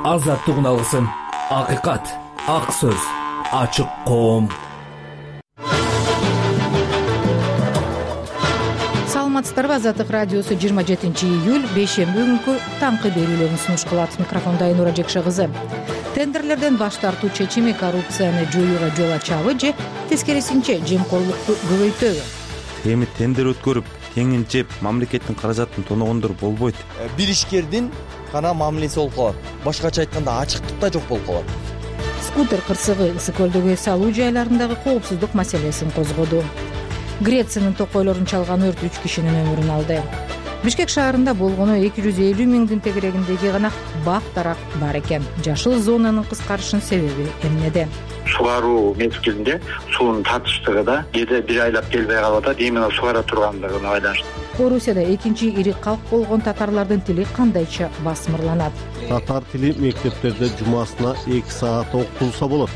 азаттыгын алгысың. Акыйкат, ак сөз, ачык коом. Саламатсыздарбы? Азаттык радиосу 27-июль бейшемби күнкү таңкы берүүлөрүн сунуш кылат. Микрофонда Айнура Жекше кызы. Тендерлерден баш тартуу чечими коррупцияны жоюуга жол ачабы же тескерисинче жемкорлукту көбөйтөбү? Эми тендер өткөрүп, теңин жеп, мамлекеттин каражатын тоногондор болбойт. Бир ишкердин гана мамилеси болуп калат. Башкача айтканда ачыктык да жок болуп калат. Скутер кырсыгы Ысык көлдөгү эс алуу жайларындагы коопсуздук маселесин козгоду. Грециянын токойлорун чалган өрт 3 кишинин өмүрүн алды. Бишкек шаарында болгону 250 миңдин тегерегиндеги гана бак-дарак бар экен. Жашыл зонанын кыскарышынын себеби эмнеде? Сугаруу мезгилинде суунун татыштыгы да кээде бир айлап келбей калып атат, именно сугара тургандыгына байланыштуу. Орусияда экинчи ири калк болгон татарлардын тили кандайча басмырланат? Татар тили мектептерде жумасына 2 саат окутулса болот.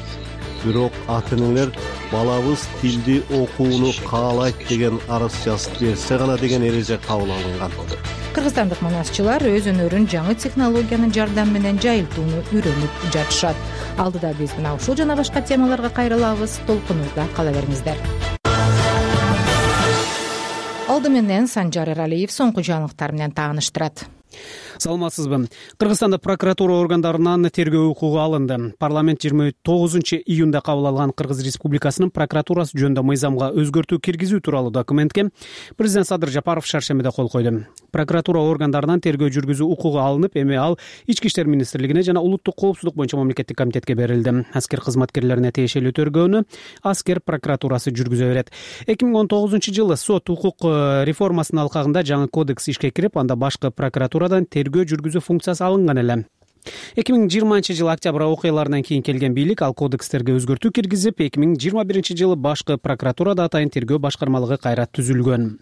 Бирок ата-энелер балабыз тилди окууну каалайт деген арыз жазып берсе гана деген эреже кабыл алынган. Кыргызстандык манасчылар өз өнөрүн жаңы технологиянын жардамы менен жайылтууну үйрөнүп жатышат. Алдыда биз мына ушул жана башка темаларга кайрылабыз. Толкунубузда кала бериңиздер. Алды менен Санжар Эралиев соңку жаңылыктар менен тааныштырат. Саламатсызбы? Кыргызстанда прокуратура органдарынан тергөө укугу алынды. Парламент 29-июнда кабыл алган Кыргыз Республикасынын прокуратурасы жөнүндө мыйзамга өзгөртүү киргизүү тууралуу документке президент Садыр Жапаров шаршембиде кол койду. Прокуратура органдарынан тергөө жүргүзүү укугу алынып, эми ал Ички иштер министрлигине жана улуттук коопсуздук боюнча мамлекеттик комитетке берилди. Аскер кызматкерлерине тиешелүү тергөөнү аскер прокуратурасы жүргүзө берет. 2019-жылы сот укук реформасынын алкагында жаңы кодекс ишке кирип, анда башкы прокуратурадан тергөө жүргүзүү функциясы алынган эле. 2020-жылы октябрь окуяларынан кийин келген бийлик ал кодекстерге өзгөртүү киргизип, 2021-жылы башкы прокуратурада атайын тергөө башкармалыгы кайра түзүлгөн.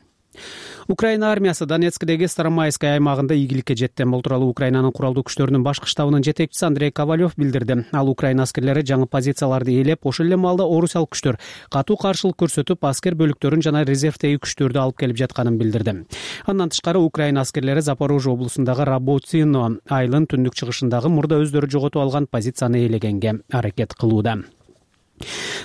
Украина армиясы Донецкдеги Старомайская аймагында ийгиликке жетти. Бул тууралуу Украинанын куралдуу күчтөрүнүн башкы штабынын жетекчиси Андрей Ковалев билдирди. Ал Украина аскерлери жаңы позицияларды ээлеп, ошол эле маалда орусиялык күчтөр катуу каршылык көрсөтүп, аскер бөлүктөрүн жана резервдеги күчтөрдү алып келип жатканын билдирди. Андан тышкары Украина аскерлери Запорожье облусундагы Работино айылын түндүк чыгышындагы мурда өздөрү жоготуп алган позицияны ээлегенге аракет кылууда.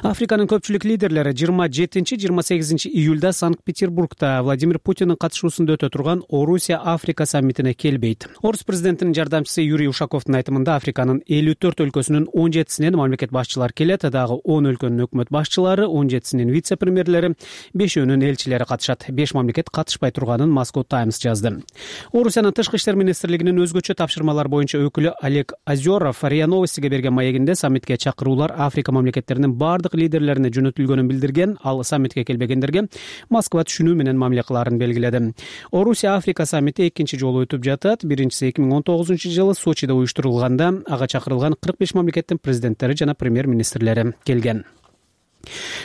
Африканын көпчүлүк лидерлери 27-28 июлда Санкт-Петербургда Владимир Путиндин катышуусунда өтө турган Орусия-Африка саммитине келбейт. Орус президентинин жардамчысы Юрий Ушаковдун айтымында Африканын 54 өлкөсүнүн 17синен мамлекет башчылары келет, дагы 10 өлкөнүн өкмөт башчылары, 17синин вице-премьерлери, 5өөнүн элчилери катышат. 5 мамлекет катышпай турганын Moscow Times жазды. Орусиянын тышкы иштер министрлигинин өзгөчө тапшырмалар боюнча өкүлү Олег Озеров РИА Новостиге берген маегинде саммитке чакыруулар Африка мамлекеттеринин бардык лидерлерине жөнөтүлгөнүн билдирген. Ал саммитке келбегендерге Москва түшүнүү менен мамиле кылаарын белгиледи. Орусия-Африка саммити экинчи жолу өтүп жатат. Биринчиси 2019-жылы Сочиде уюштурулганда ага чакырылган 45 мамлекеттин президенттери жана премьер-министрлери келген.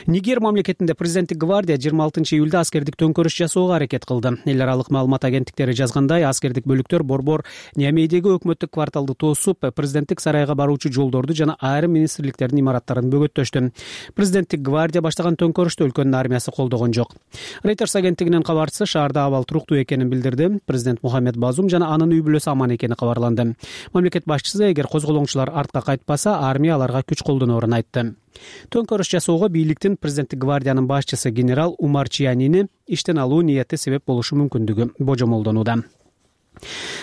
Нигер мамлекетинде президенттик гвардия 26-июлда аскердик төңкөрүш жасоого аракет кылды. Эл аралык маалымат агенттиктери жазгандай, аскердик бөлүктөр борбор Ниамейдеги өкмөттүк кварталды тосуп, президенттик сарайга баруучу жолдорду жана айрым министрликтердин имараттарын бөгөттөштү. Президенттик гвардия баштаган төңкөрүштү өлкөнүн армиясы колдогон жок. Reuters агенттигинин кабарчысы шаарда абал туруктуу экенин билдирди. Президент Мухаммед Базум жана анын үй бүлөсү аман экени кабарланды. Мамлекет башчысы эгер козголоңчулар артка кайтпаса, армия аларга күч колдоноорун айтты. Төңкөрүш жасоого бийликтин президенттик гвардиянын башчысы генерал Умар Чиянини иштен алуу ниети себеп болушу мүмкүндүгү божомолдонууда.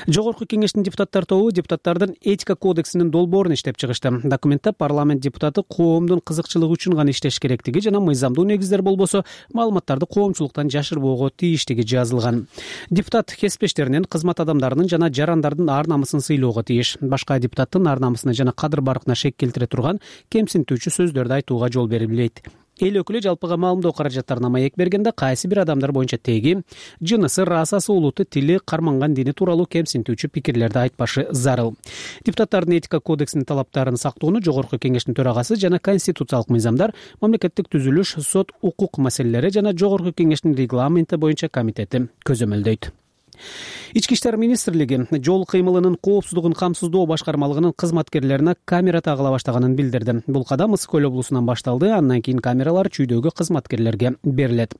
Жогорку кеңештин депутаттар тобу депутаттардын этика кодексинин долбоорун иштеп чыгышты. Документте парламент депутаты коомдун кызыкчылыгы үчүн гана иштеш керектиги жана мыйзамдуу негиздер болбосо маалыматтарды коомчулуктан жашырбоого тийиштиги жазылган. Депутат кесиптештеринин, кызмат адамдарынын жана жарандардын ар намысын сыйлоого тийиш. Башка депутаттын ар намысына жана кадыр баркына шек келтире турган кемсинтүүчү сөздөрдү айтууга жол берилбейт. Эл өкүлү жалпыга маалымдоо каражаттарына маек бергенде кайсы бир адамдар боюнча теги, жынысы, расасы, улуты, тили, карманган дини тууралуу кемсинтүүчү пикирлерди айтпашы зарыл. Депутаттардын этика кодексинин талаптарын сактоону Жогорку кеңештин төрагасы жана конституциялык мыйзамдар, мамлекеттик түзүлүш, сот, укук маселелери жана Жогорку кеңештин регламенти боюнча комитети көзөмөлдөйт. Ички иштер министрлиги жол кыймылынын коопсуздугун камсыздоо башкармалыгынын кызматкерлерине камера тагыла баштаганын билдирди. Бул кадам Ысык көл облусунан башталды. Андан кийин камералар чүйдөгү кызматкерлерге берилет.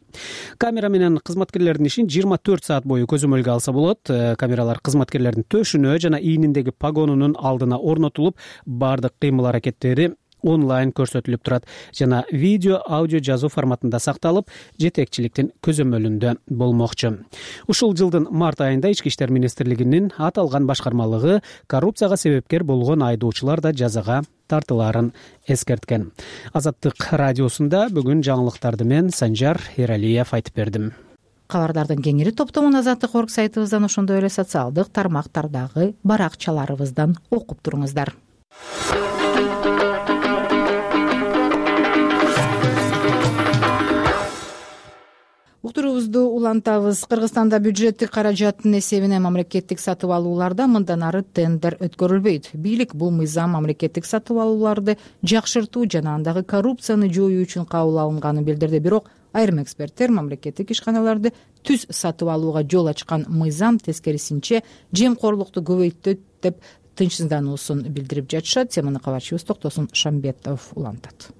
Камера менен кызматкерлердин ишин 24 саат бою көзөмөлгө алса болот. Камералар кызматкерлердин төшүнө жана ийниндеги погонунун алдына орнотулуп, бардык кыймыл аракеттери онлайн көрсөтүлүп турат жана видео, аудио жазуу форматында сакталып, жетекчиликтин көзөмөлүндө болмокчу. Ушул жылдын март айында Ички иштер министрлигинин аталган башкармалыгы коррупцияга себепкер болгон айдоочулар да жазага тартылаарын эскерткен. Азаттык радиосунда бүгүн жаңылыктарды мен Санжар Эралиев айтып бердим. Кабардардын кеңири топтомун Азаттык орг сайтыбыздан, ошондой эле социалдык тармактардагы баракчаларыбыздан окуп туруңуздар. Уктуруубузду улантабыз. Кыргызстанда бюджеттик каражаттын эсебинен мамлекеттик сатып алууларда мындан ары тендер өткөрүлбөйт. Бийлик бул мыйзам мамлекеттик сатып алууларды жакшыртуу жана андагы коррупцияны жоюу үчүн кабыл алынганын билдирди. Бирок айрым эксперттер мамлекеттик ишканаларды түз сатып алууга жол ачкан мыйзам тескерисинче жемкорлукту көбөйтөт деп тынчсыздануусун билдирип жатышат. Теманы кабарчыбыз Токтосун Шамбетов улантат.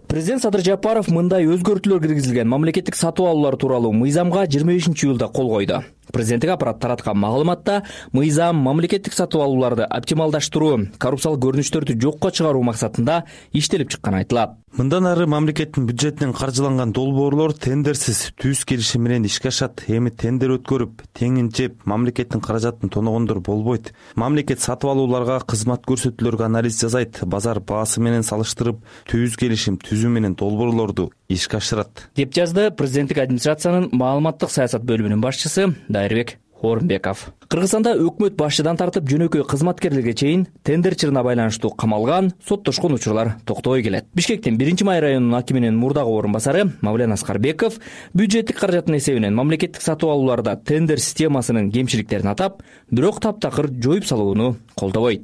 Президент Садыр Жапаров мындай өзгөртүүлөр киргизилген мамлекеттик сатып алуулар тууралуу мыйзамга 25-июлда кол койду. Президенттик аппарат тараткан маалыматта мыйзам мамлекеттик сатып алууларды оптималдаштыруу, коррупциялык көрүнүштөрдү жокко чыгаруу максатында иштелип чыкканы айтылат. Мындан ары мамлекеттин бюджетинен каржыланган долбоорлор тендерсиз түз келишим менен ишке ашат. Эми тендер өткөрүп, теңин жеп, мамлекеттин каражатын тоногондор болбойт. Мамлекет сатып алууларга, кызмат көрсөтүүлөргө анализ жасайт, базар баасы менен салыштырып, түз келишим түзүү менен долбоорлорду ишке ашырат, деп жазды президенттик администрациянын маалыматтык саясат бөлүмүнүн башчысы Дайырбек Орунбеков. Кыргызстанда өкмөт башчыдан тартып жөнөкөй кызматкерлерге чейин тендер чырына байланыштуу камалган, соттошкон учурлар токтобой келет. Бишкектин 1-Май районунун акиминин мурдагы орун басары Мавлен Аскарбеков бюджеттик каражаттын эсебинен мамлекеттик сатып алууларда тендер системасынын кемчиликтерин атап, бирок таптакыр жоюп салууну колдобойт.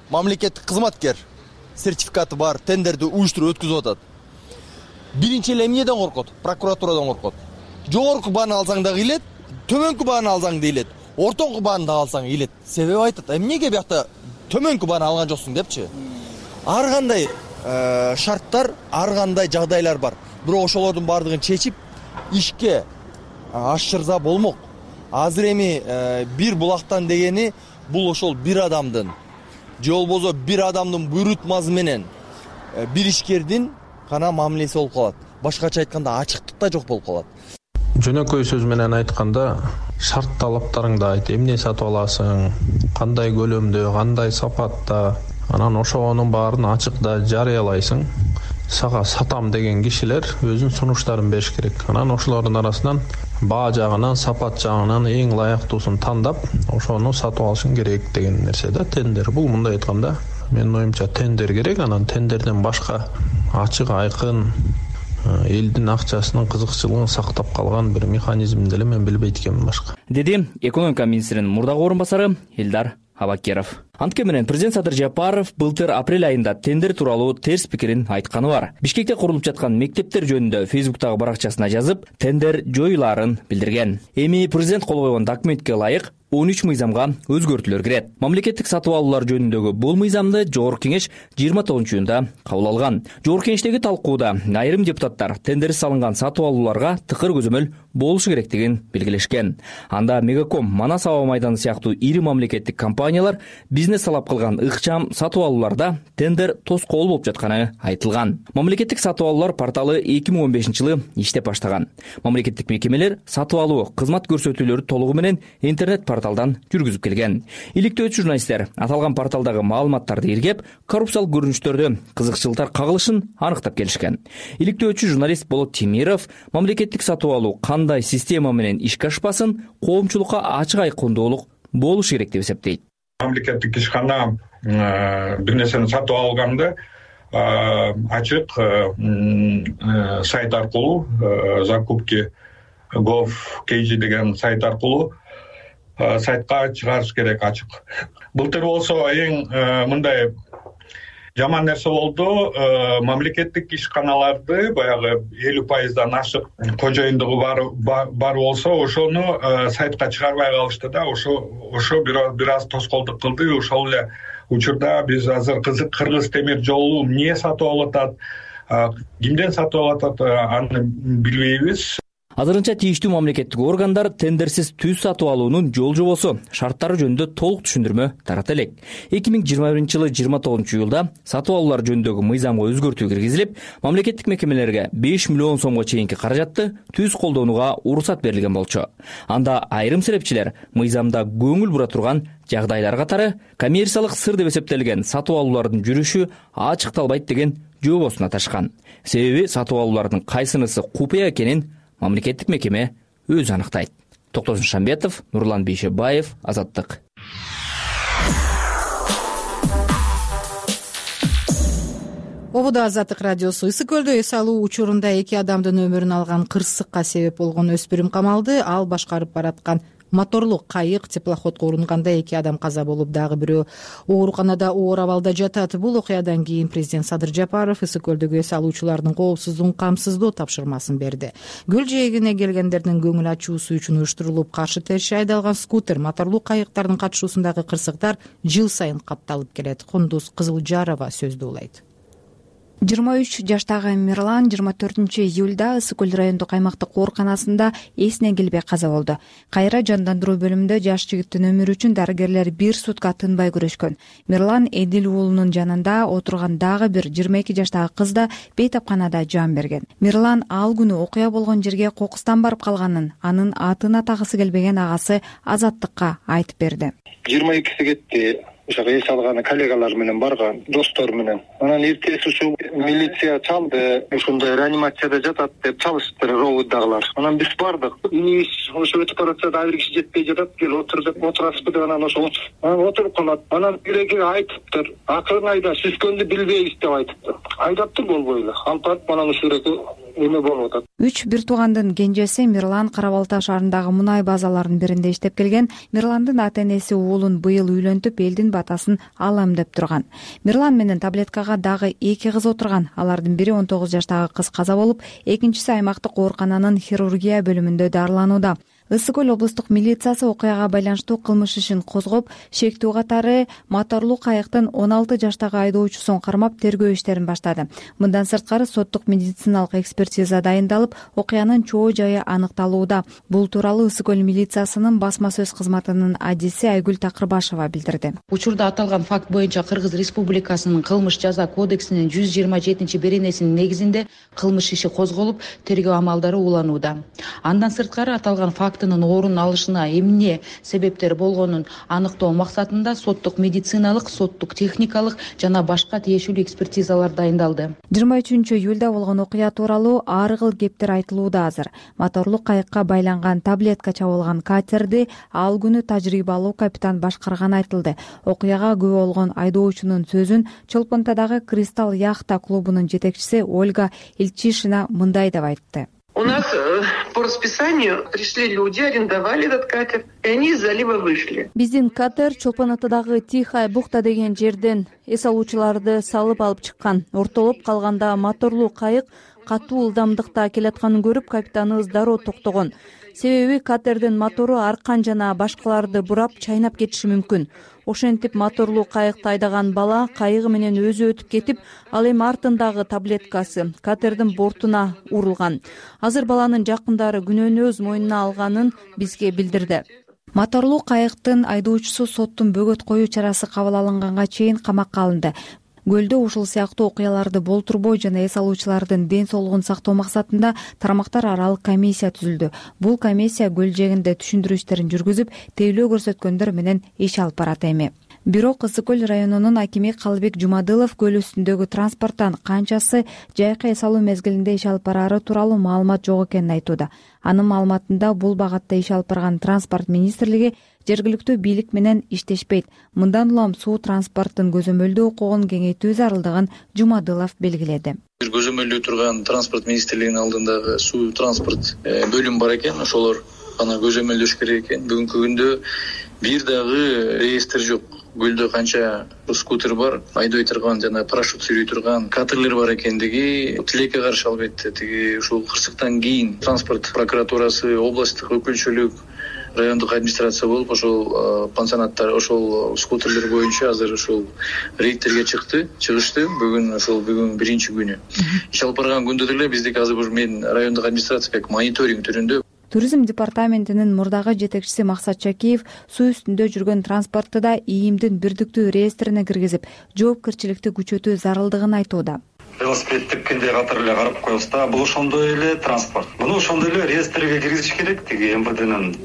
Мамлекеттик кызматкер сертификаты бар тендерди уюштуруп өткүзүп атат. Биринчи эле эмнеден коркот? Прокуратурадан коркот. Жогорку бааны алсаң да кыйлет, төмөнкү бааны алсаң да кыйлет, ортоңку бааны да алсаң кыйлет. Себеби айтат, эмнеге биякта төмөнкү бааны алган жоксуң депчи. Ар кандай шарттар, ар кандай жагдайлар бар. Бирок ошолордун бардыгын чечип ишке ашырса болмок. Азыр эми бир булактан дегени бул ошол бир адамдын же болбосо бир адамдын буйрутмасы менен бир ишкердин гана мамилеси болуп калат. Башкача айтканда ачыктык да жок болуп калат. Жөнөкөй сөз менен айтканда, шарт талаптарыңды айт, эмне сатып аласың, кандай көлөмдө, кандай сапатта, анан ошонун баарын ачыкта жарыялайсың. Сага сатам деген кишилер өзүнүн сунуштарын бериш керек. Анан ошолордун арасынан баа жагынан, сапат жагынан эң ылайыктуусун тандап, ошону сатып алышың керек деген нерсе да тендер. Бул мындай айтканда, менин оюмча тендер керек, анан тендерден башка ачык, айкын элдин акчасынын кызыкчылыгын сактап калган бир механизм деле мен билбейт экенмин башка, деди экономика министринин мурдагы орун басары Элдар Абакеров. Антке менен президент Садыр Жапаров былтыр апрель айында тендер тууралуу терс пикирин айтканы бар. Бишкекте курулуп жаткан мектептер жөнүндө Фейсбуктагы баракчасына жазып, тендер жоюлаарын билдирген. Эми президент кол койгон документке ылайык 13 мыйзамга өзгөртүүлөр кирет. Мамлекеттик сатып алуулар жөнүндөгү бул мыйзамды Жогорку кеңеш 29-июнда кабыл алган. Жогорку кеңештеги талкууда айрым депутаттар тендерсиз салынган сатып алууларга тыкыр көзөмөл болушу керектигин белгилешкен. Анда Мегаком, Манас аба майданы сыяктуу ири мамлекеттик компаниялар бизнес талап кылган ыкчам сатып алууларда тендер тоскоол болуп жатканы айтылган. Мамлекеттик сатып алуулар порталы 2015-жылы иштеп баштаган. Мамлекеттик мекемелер сатып алуу, кызмат көрсөтүүлөрү толугу менен интернет порталдан жүргүзүп келген. Иликтөөчү журналисттер аталган порталдагы маалыматтарды иргеп, коррупциялык көрүнүштөрдө кызыкчылыктар кагылышын аныктап келишкен. Иликтөөчү журналист Болот Темиров мамлекеттик сатып алуу кандай система менен ишке ашпасын, коомчулукка ачык айкындуулук болушу керек деп эсептейт. Мамлекеттик ишкана бир нерсени сатып алганда ачык сайт аркылуу закупки gov.kg деген сайт аркылуу сайтка чыгарыш керек ачык. Былтыр болсо эң мындай жаман нерсе болду. Мамлекеттик ишканаларды баягы 50%дан ашык кожоюндугу бар болсо ошону сайтка чыгарбай калышты да. Ошо бир аз тоскоолдук кылды. Ошол эле учурда биз азыр Кыргыз темир жолу эмне сатып алып атат, кимден сатып алып атат, аны билбейбиз. Азырынча тийиштүү мамлекеттик органдар тендерсиз түз сатып алуунун жол жобосу, шарттары жөнүндө толук түшүндүрмө тарата элек. 2021-жылы 29-июлда сатып алуулар жөнүндөгү мыйзамга өзгөртүү киргизилип, мамлекеттик мекемелерге 5 миллион сомго чейинки каражатты түз колдонууга уруксат берилген болчу. Анда айрым серепчилер мыйзамда көңүл бура турган жагдайлар катары коммерциялык сыр деп эсептелген сатып алуулардын жүрүшү ачыкталбайт деген жообосун аташкан. Себеби сатып алуулардын кайсынысы купуя экенин мамлекеттик мекеме өзү аныктайт. Токтосун Шамбетов, Нурлан Бейшебаев, Азаттык. Ободо Азаттык радиосу. Ысык көлдө эс алуу учурунда 2 адамдын өмүрүн алган кырсыкка себеп болгон өспүрүм камалды. Ал башкарып бараткан моторлуу кайык теплоходко урунганда 2 адам каза болуп, дагы бирөө ооруканада оор абалда жатат. Бул окуядан кийин президент Садыр Жапаров ысык көлдөгү эс алуучулардын коопсуздугун камсыздоо тапшырмасын берди. Көл жээгине келгендердин көңүл ачуусу үчүн уюштурулуп каршы терши айдалган скутер, моторлуу кайыктардын катышуусундагы кырсыктар жыл сайын катталып келет. Кундуз Кызылжарова сөздү улайт. 23 жаштагы Мирлан 24-июлда Ысык көл райондук аймактык ооруканасында эсине келбей каза болду. Кайра жандандыруу бөлүмүндө жаш жигиттин өмүрү үчүн дарыгерлер 1 сутка тынбай күрөшкөн. Мирлан Эдил уулунун жанында отурган дагы бир 22 жаштагы кыз да бейтапканада жан берген. Мирлан ал күнү окуя болгон жерге кокустан барып калганын, анын атын атагысы келбеген агасы Азаттыкка айтып берди. 22-си кетти. Ошого эс алган коллегалар менен барган, достор менен. Анан эртеси ушу милиция чалды, ушундай реанимацияда жатат деп чалыштыр ровддагылар. Анан биз бардык. Инибиз ошо өтүп баратса бир киши жетпей жатат, кел отур деп отурасызбы деп анан ошо отуруп калат. Анан биреги айтыптыр, акырын айда сүзгөндү билбейбиз деп айтыптыр. Айдаптыр болбой эле. Алып барып анан ушул эреки эме болуп атат. 3 бир туугандын кенжеси Мирлан Кара Балта шаарындагы мунай базаларынын биринде иштеп келген. Мирландын ата-энеси уулун быйыл үйлөнтүп, элдин батасын алам деп турган. Мирлан менен таблеткага дагы 2 кыз отурган. Алардын бири 19 жаштагы кыз каза болуп, экинчиси аймактык оорукананын хирургия бөлүмүндө дарыланууда. Ысык көл облустук милициясы окуяга байланыштуу кылмыш ишин козгоп, шектүү катары моторлуу кайыктын 16 жаштагы айдоочусун кармап тергөө иштерин баштады. Мындан сырткары соттук медициналык экспертиза дайындалып, окуянын чоо жайы аныкталууда. Бул тууралуу Ысык көл милициясынын басма сөз кызматынын адиси Айгүл Такырбашева билдирди. Учурда аталган факт боюнча Кыргыз Республикасынын кылмыш жаза кодексинин 127-беренесинин негизинде кылмыш иши козголуп, тергөө амалдары уланууда. Андан сырткары аталган фактынын орун алышына эмне себептер болгонун аныктоо максатында соттук медициналык, соттук техникалык жана башка тиешелүү экспертизалар дайындалды. 23-июлда болгон окуя тууралуу ар кыл кептер айтылууда азыр. Моторлуу кайыкка байланган таблетка чабылган катерди ал күнү тажрыйбалуу капитан башкарганы айтылды. Окуяга күбө болгон айдоочунун сөзүн Чолпонтадагы Кристалл яхта клубунун жетекчиси Ольга Ильчишина мындай деп айтты. У нас по расписанию пришли люди, арендовали этот катер, и они из залива вышли. Биздин катер Чолпонатадагы Тихая бухта деген жерден эс алуучуларды салып алып чыккан. Ортолоп калганда моторлуу кайык катуу ылдамдыкта келатканын көрүп, капитаныбыз дароо токтогон. Себеби катердин мотору аркан жана башкаларды бурап чайнап кетиши мүмкүн. Ошентип моторлуу кайыкты айдаган бала кайыгы менен өзү өтүп кетип, ал эми артындагы таблеткасы катердин бортуна урулган. Азыр баланын жакындары күнөөнү өз мойнуна алганын бизге билдирди. Моторлуу кайыктын айдоочусу соттун бөгөт коюу чарасы кабыл алынганга чейин камакка алынды. Көлдө ушул сыяктуу окуяларды болтурбой жана эс алуучулардын ден соолугун сактоо максатында тармактар аралык комиссия түзүлдү. Бул комиссия көл жээгинде түшүндүрүү иштерин жүргүзүп, тейлөө көрсөткөндөр менен иш алып барат эми. Бирок Ысык көл районунун акими Калыбек Жумадылов көл үстүндөгү транспорттон канчасы жайкы эс алуу мезгилинде иш алып бараары тууралуу маалымат жок экенин айтууда. Анын маалыматында бул багатта иш алып барган транспорт министрлиги жергиликтүү бийлик менен иштешпейт. Мындан улам суу транспорттун көзөмөлдөө укугун кеңейтүү зарылдыгын Жумадылов белгиледи. Көзөмөлдөө турган транспорт министрлигинин алдындагы суу транспорт бөлүм бар экен, ошолор гана көзөмөлдөш керек экен. Бүгүнкү күндө бир дагы реестр жок. көлдө канча скутер бар, айдой турган жана парашют сүйрөй турган катерлер бар экендиги тилекке каршы албетте. Тиги ушул кырсыктан кийин транспорт прокуратурасы, областтык өкүлчүлүк, райондук администрация болуп ошол пансионаттар, ошол скутерлер боюнча азыр ошол рейдтерге чыгышты. Бүгүн биринчи күнү. Иш алып барган күндө деле биздики азыр мен райондук администрация мониторинг түрүндө. Туризм департаментинин мурдагы жетекчиси Максат Чакиев суу үстүндө жүргөн транспортты да ИИМдин бирдиктүү реестрине киргизип, жоопкерчиликти күчөтүү зарылдыгын айтууда. Велосипедти кенде катары эле карап коебуз да, бул ошондой эле транспорт. Муну ошондой эле реестрге киргизиш керек. Тиги МВДнын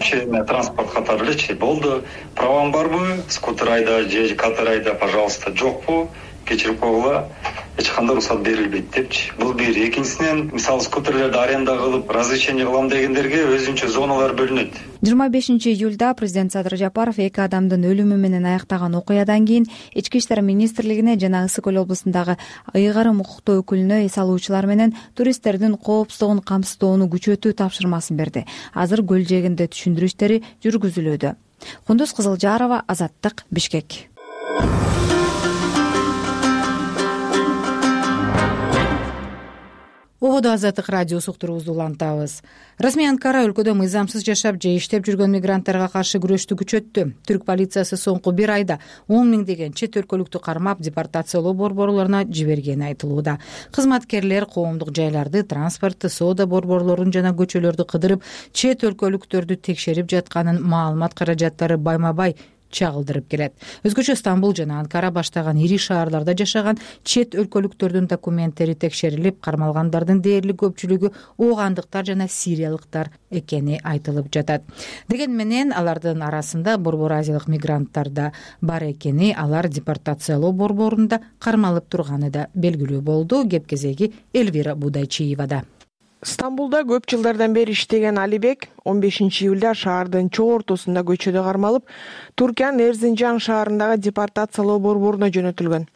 транспорт катары элечи. Болду, праваң барбы? Скутер айда же катер айда, пожалуйста, жокпу? Кечирип койгула. Эч кандай уруксат берилбейт депчи. Бул бир. Экинчисинен, мисалы скутерлерди аренда кылып, разрешение кылам дегендерге өзүнчө зоналар бөлүнөт. 25-июлда президент Садыр Жапаров 2 адамдын өлүмү менен аяктаган окуядан кийин Ички иштер министрлигине жана Ысык Көл облусундагы ыйгарым укуктуу өкүлүнө эс алуучулар менен туристтердин коопсуздугун камсыздоону күчөтүү тапшырмасын берди. Азыр көл жээгинде түшүндүрүү иштери жүргүзүлүүдө. Кундуз Кызылжарова, Азаттык, Бишкек. Ободо Азаттык радиосу уктуруубузду улантабыз. Расмий Анкара өлкөдө мыйзамсыз жашап же иштеп жүргөн мигранттарга каршы күрөштү күчөттү. Түрк полициясы соңку 1 айда 10 миңдеген чет өлкөлүктү кармап, депортациялоо борборлоруна жибергени айтылууда. Кызматкерлер коомдук жайларды, транспортты, соода борборлорун жана көчөлөрдү кыдырып, чет өлкөлүктөрдү текшерип жатканын, маалымат каражаттары байма-бай чагылдырып келет. Өзгөчө Стамбул жана Анкара баштаган ири шаарларда жашаган чет өлкөлүктөрдүн документтери текшерилип, кармалгандардын дээрлик көпчүлүгү оогандыктар жана сириялыктар экени айтылып жатат. Деген менен алардын арасында Борбор Азиялык мигранттар да бар экени, алар депортациялоо борборунда кармалып турганы да белгилүү болду. Кеп кезеги Элвира Будайчиевада. Стамбулда көп жылдардан бери иштеген Алибек 15-июлда шаардын чоо ортосунда көчөдө кармалып, Туркиянын Эрзинжан шаарындагы депортациялоо борборуна жөнөтүлгөн.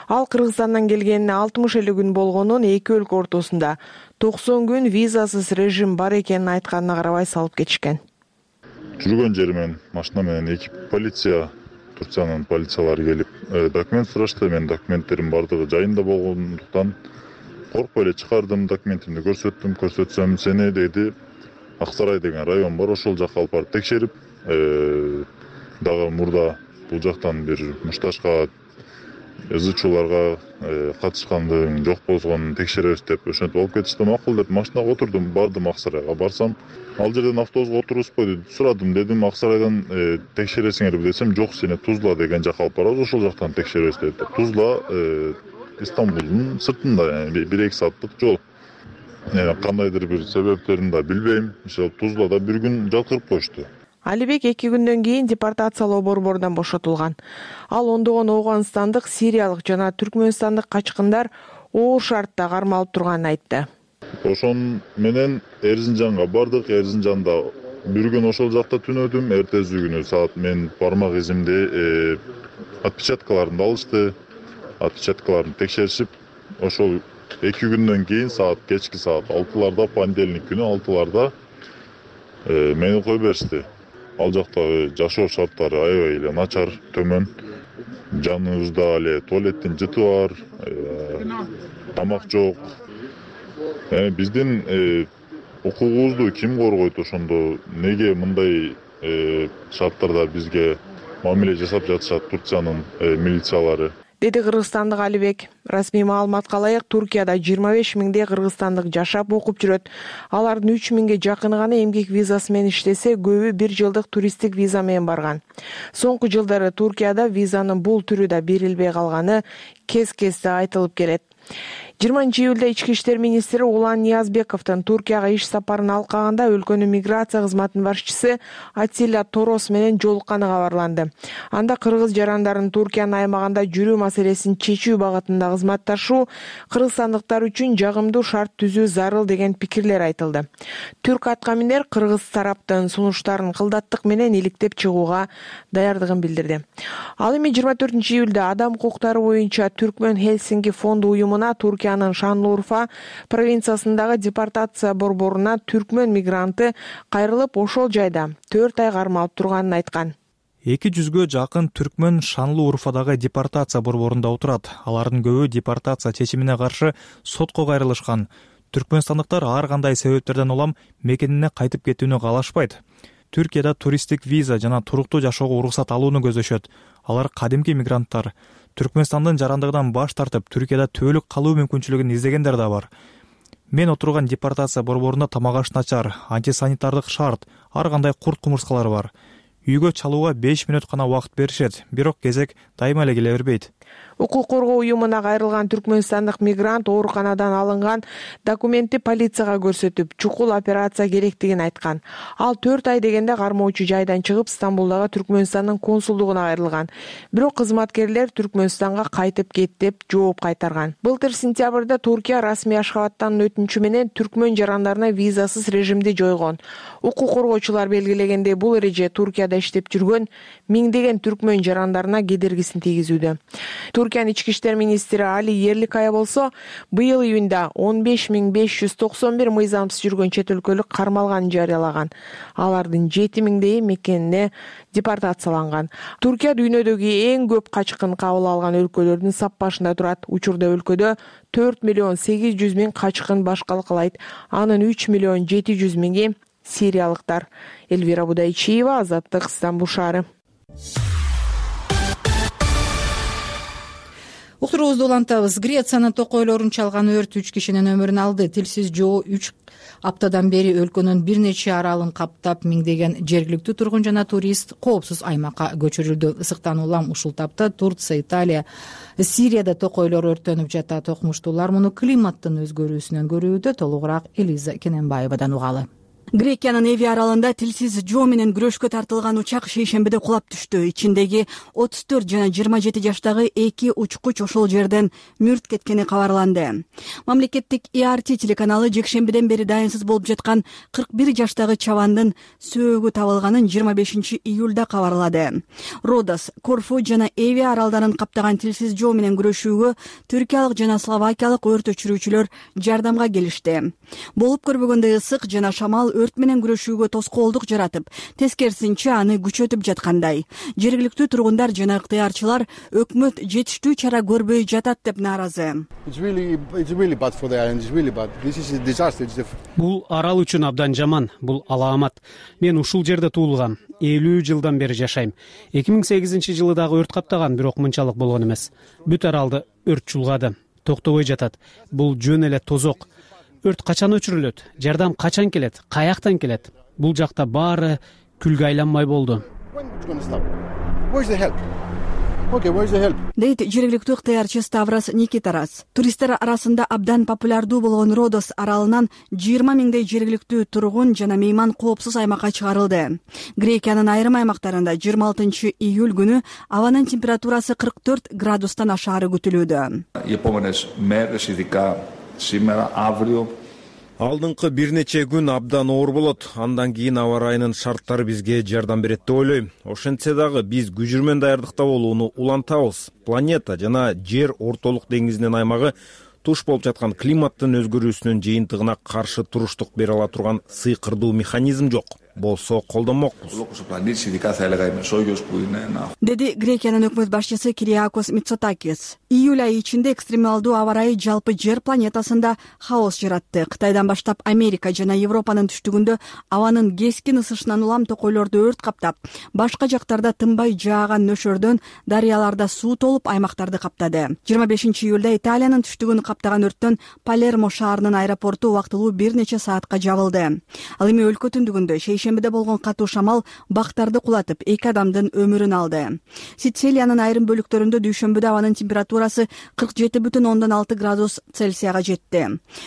Ал Кыргызстандан келгенине 60 эле күн болгонун, эки өлкө ортосунда 90 күн визасыз режим бар экенин айтканына карабай салып кетишкен. Жүргөн жеримен машина менен эки полиция, Турциянын полициялары келип, документ сурашты. Мен документтерим бардыгы жайында болгондуктан коркпой эле чыгардым, документимди көрсөтсөм сени деди, Аксарай деген район бар, ошол жакка алып барып текшерип, дагы мурда бул жактан бир мушташка ызычууларга катышкандыгың жок болгонун текшеребиз деп ошентип алып кетишти. Макул деп машинага отурдум, бардым Аксарайга. Барсам, ал жерден автобуска отурузбойду. Сурадым, дедим, Аксарайдан текшересиңерби десем, жок, сени Тузла деген жакка алып барабыз, ошол жактан текшеребиз деди. Тузла Стамбулдун сыртында, 1-2 сааттык жол. Кандайдыр бир себептерин да билбейм. Ошол Тузлада бир күн жаткырып коюшту. Алибек 2 күндөн кийин депортациялоо борборунан бошотулган. Ал ондогон Ооганстандык, Сириялык жана Түркмөнстандык качкындар оор шартта кармалып турганын айтты. Ошон менен Эрзинжанга бардык. Эрзинжанда бир күн ошол жакта түнөдүм. Эртеси күнү саат мен бармак изимди отпечаткаларын алышты. Отпечаткаларын текшеришип, ошол 2 күндөн кийин кечки саат 6-ларда, понедельник күнү 6-ларда мени кое беришти. Ал жактагы жашоо шарттары аябай эле начар, төмөн. Жаныбызда эле туалеттин жыты бар, тамак жок. Биздин укугубузду ким коргойт ошондо? Неге мындай шарттарда бизге мамиле жасап жатышат Турциянын милициялары? Деди кыргызстандык Алибек. Расмий маалыматка ылайык, Туркияда 25 миңдей кыргызстандык жашап окуп жүрөт. Алардын 3 миңге жакыны гана эмгек визасы менен иштесе, көбү 1 жылдык туристтик виза менен барган. Соңку жылдары Туркияда визанын бул түрү да берилбей калганы кез-кезде айтылып келет. 20-июлда Ички иштер министри Улан Ниязбековдун Туркияга иш сапарын алкаганда өлкөнүн миграция кызматынын башчысы Атиля Торос менен жолукканы кабарланды. Анда кыргыз жарандарын Туркиянын аймагында жүрүү маселесин чечүү багытында кызматташуу кыргызстандыктар үчүн жагымдуу шарт түзүү зарыл деген пикирлер айтылды. Түрк аткаминер кыргыз тараптын сунуштарын кылдаттык менен иликтеп чыгууга даярдыгын билдирди. Ал эми 24-июлда адам укуктары боюнча Түркмөн Хельсинки фонду уюмуна Туркиянын Шанлурфа провинциясындагы депортация борборуна түркмөн мигранты кайрылып, ошол жайда 4 ай кармалып турганын айткан. 200-гө жакын түркмөн Шанлы Урфадагы депортация борборунда отурат. Алардын көбү депортация чечимине каршы сотко кайрылышкан. Түркмөнстандыктар ар кандай себептерден улам мекенине кайтып кетүүнү каалашпайт. Түркияда туристтик виза жана туруктуу жашоого уруксат алууну көздөшөт. Алар кадимки мигранттар. Түркмөнстандын жарандыгынан баш тартып, Түркияда түбөлүк калуу мүмкүнчүлүгүн издегендер да бар. Мен отурган депортация борборунда тамак аш начар, антисанитардык шарт, ар кандай курт кумурскалар бар. Үйгө чалууга 5 мүнөт гана убакыт беришет, бирок кезек дайыма эле келе бербейт. Укук коргоо уюмуна кайрылган түркмөнстандык мигрант ооруканадан алынган документти полицияга көрсөтүп, чукул операция керектигин айткан. Ал 4 ай дегенде кармоочу жайдан чыгып, Стамбулдагы Түркмөнстандын консулдугуна кайрылган. Бирок кызматкерлер Түркмөнстанга кайтып кет деп жооп кайтарган. Былтыр сентябрда Туркия расмий Ашхабадтан өтүнчү менен түркмөн жарандарына визасыз режимди жойгон. Укук коргоочулар белгилегендей, бул эреже Туркияда иштеп жүргөн миңдеген түркмөн жарандарына кедергисин тийгизүүдө. Туркиянын ички иштер министри Али Ерликая болсо, быйыл июнда 15591 мыйзамсыз жүргөн чет өлкөлүк кармалганын жарыялаган. Алардын 7000 мекенине депортацияланган. Туркия дүйнөдөгү эң көп качкын кабыл алган өлкөлөрдүн саппашында турат. Учурда өлкөдө 4.800.000 качкын башкалык кылайт. Анын 3.700.000 сириялыктар. Элвира Будайчиева, Азаттык, Стамбул шаары. Уктуруубузду улантабыз. Грециянын токойлорун чалган өрт 3 кишинин өмүрүн алды. Тилсиз жоо 3 аптадан бери өлкөнүн бир нече аралын каптап, миңдеген жергиликтүү тургун жана турист коопсуз аймакка көчүрүлдү. Ысыктан улам ушул тапта Турция, Италия, Сирияда токойлор өрттөнүп жатат. Окумуштуулар муну климаттын өзгөрүүсүнөн көрүүдө. Толугураак Элиза Кененбаевадан угалы. Грекиянын Эви аралында тилсиз жоо менен күрөшкө тартылган учак шейшембиде кулап түштү. Ичиндеги 34 жана 27 жаштагы 2 учкуч ошол жерден мүрт кеткени кабарланды. Мамлекеттик ERT телеканалы жекшембиден бери дайынсыз болуп жаткан 41 жаштагы чабандын сөөгү табылганын 25 июлда кабарлады. Родос, Корфу жана Эви аралдарын каптаган тилсиз жоо менен күрөшүүгө түркиялык жана словакиялык өрт өчүрүүчүлөр жардамга келишти. Болуп көрбөгөндөй ысык жана шамал өрт менен күрөшүүгө тоскоолдук жаратып, тескерисинче аны күчөтүп жаткандай. Жергиликтүү тургундар жана ыктыярчылар өкмөт жетиштүү чара көрбөй жатат деп нааразы. Бул арал үчүн абдан жаман, бул алаамат. Мен ушул жерде туулгам, 50 жылдан бери жашайм. 2008-жылы дагы өрт каптаган, бирок мынчалык болгон эмес. Бүт аралды өрт чулгады, токтобой жатат. Бул жөн эле тозок. Өрт качан өчүрүлөт? Жардам качан келет? Каяктан келет? Бул жакта баары күлгө айланмай болду. Дейт жергиликтүү ыктыярчы Ставрос Никитарас. Туристтер арасында абдан популярдуу болгон Родос аралынан 20 миңдей жергиликтүү тургун жана мейман коопсуз аймакка чыгарылды. Грекиянын айрым аймактарында 26 июль күнү абанын температурасы 44 градустан ашаары күтүлүүдө. Алдыңкы бир нече күн абдан оор болот. Андан кийин аба ырайынын шарттары бизге жардам берет деп ойлойм. Ошентсе дагы биз күжүрмөн даярдыкта болууну улантабыз. Планета жана жер ортолук деңизинин аймагы туш болуп жаткан климаттын өзгөрүүсүнүн жыйынтыгына каршы туруштук бере ала турган сыйкырдуу механизм жок. Болсо колдонмокпуз. Деди Грекиянын өкмөт башчысы Кириакос Мицотакис. Июль айы ичинде экстремалдуу аба ырайы жалпы жер планетасында хаос жаратты. Кытайдан баштап Америка жана Европанын түштүгүндө абанын кескин ысышынан улам токойлорду өрт каптап, башка жактарда тынбай жааган нөшөрдөн дарыяларда суу толуп аймактарды каптады. 25 июлда Италиянын түштүгүн каптаган өрттөн Палермо шаарынын аэропорту убактылуу бир нече саатка жабылды. Ал эми өлкө түндүгүндө шейшембиде болгон катуу шамал бактарды кулатып, 2 адамдын өмүрүн алды. Сицилиянын айрым бөлүктөрүндө дүйшөмбүдө абанын температурасы 47,6 градус Цельсияга жетти.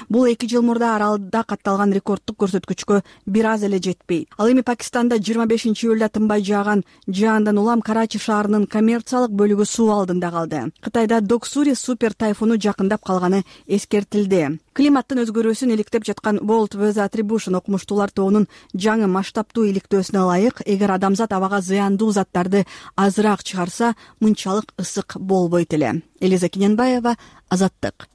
Бул 2 жыл мурда аралда катталган рекордтук көрсөткүчкө бир аз эле жетпейт. Ал эми Пакистанда 25 июлда тынбай жааган жаандан улам Карачи шаарынын коммерциялык бөлүгү суу алдында калды. Кытайда Доксури супер тайфуну жакындап калганы эскертилди. Климаттын өзгөрүүсүн иликтеп жаткан World Weather Attribution окумуштуулар тобунун жаңы масштабтуу иликтөөсүнө ылайык, эгер адамзат абага зыяндуу заттарды азыраак чыгарса, мынчалык ысык болбойт эле. Элиза Кененбаева, Азаттык.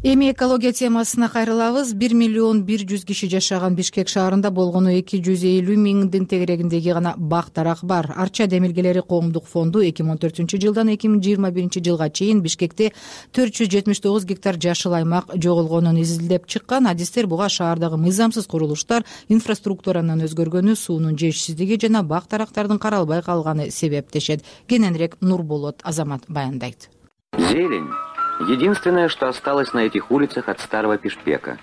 Эми экология темасына кайрылабыз. 1.100.000 киши жашаган Бишкек шаарында болгону 250.000 тегерегиндеги гана бак дарак бар. Арча демилгелери коомдук фонду 2014 жылдан 2021 жылга чейин Бишкекте 479 гектар жашыл аймак жоголгонун изилдеп чыккан. Адистер буга шаардагы мыйзамсыз курулуштар, инфраструктуранын өзгөргөнү, суунун жетишсиздиги жана бак дарактардын каралбай калганы себептешет. Кененирээк Нурболот Азамат баяндайт. Зелень — единственное, что осталось на этих улицах от старого Бишкека.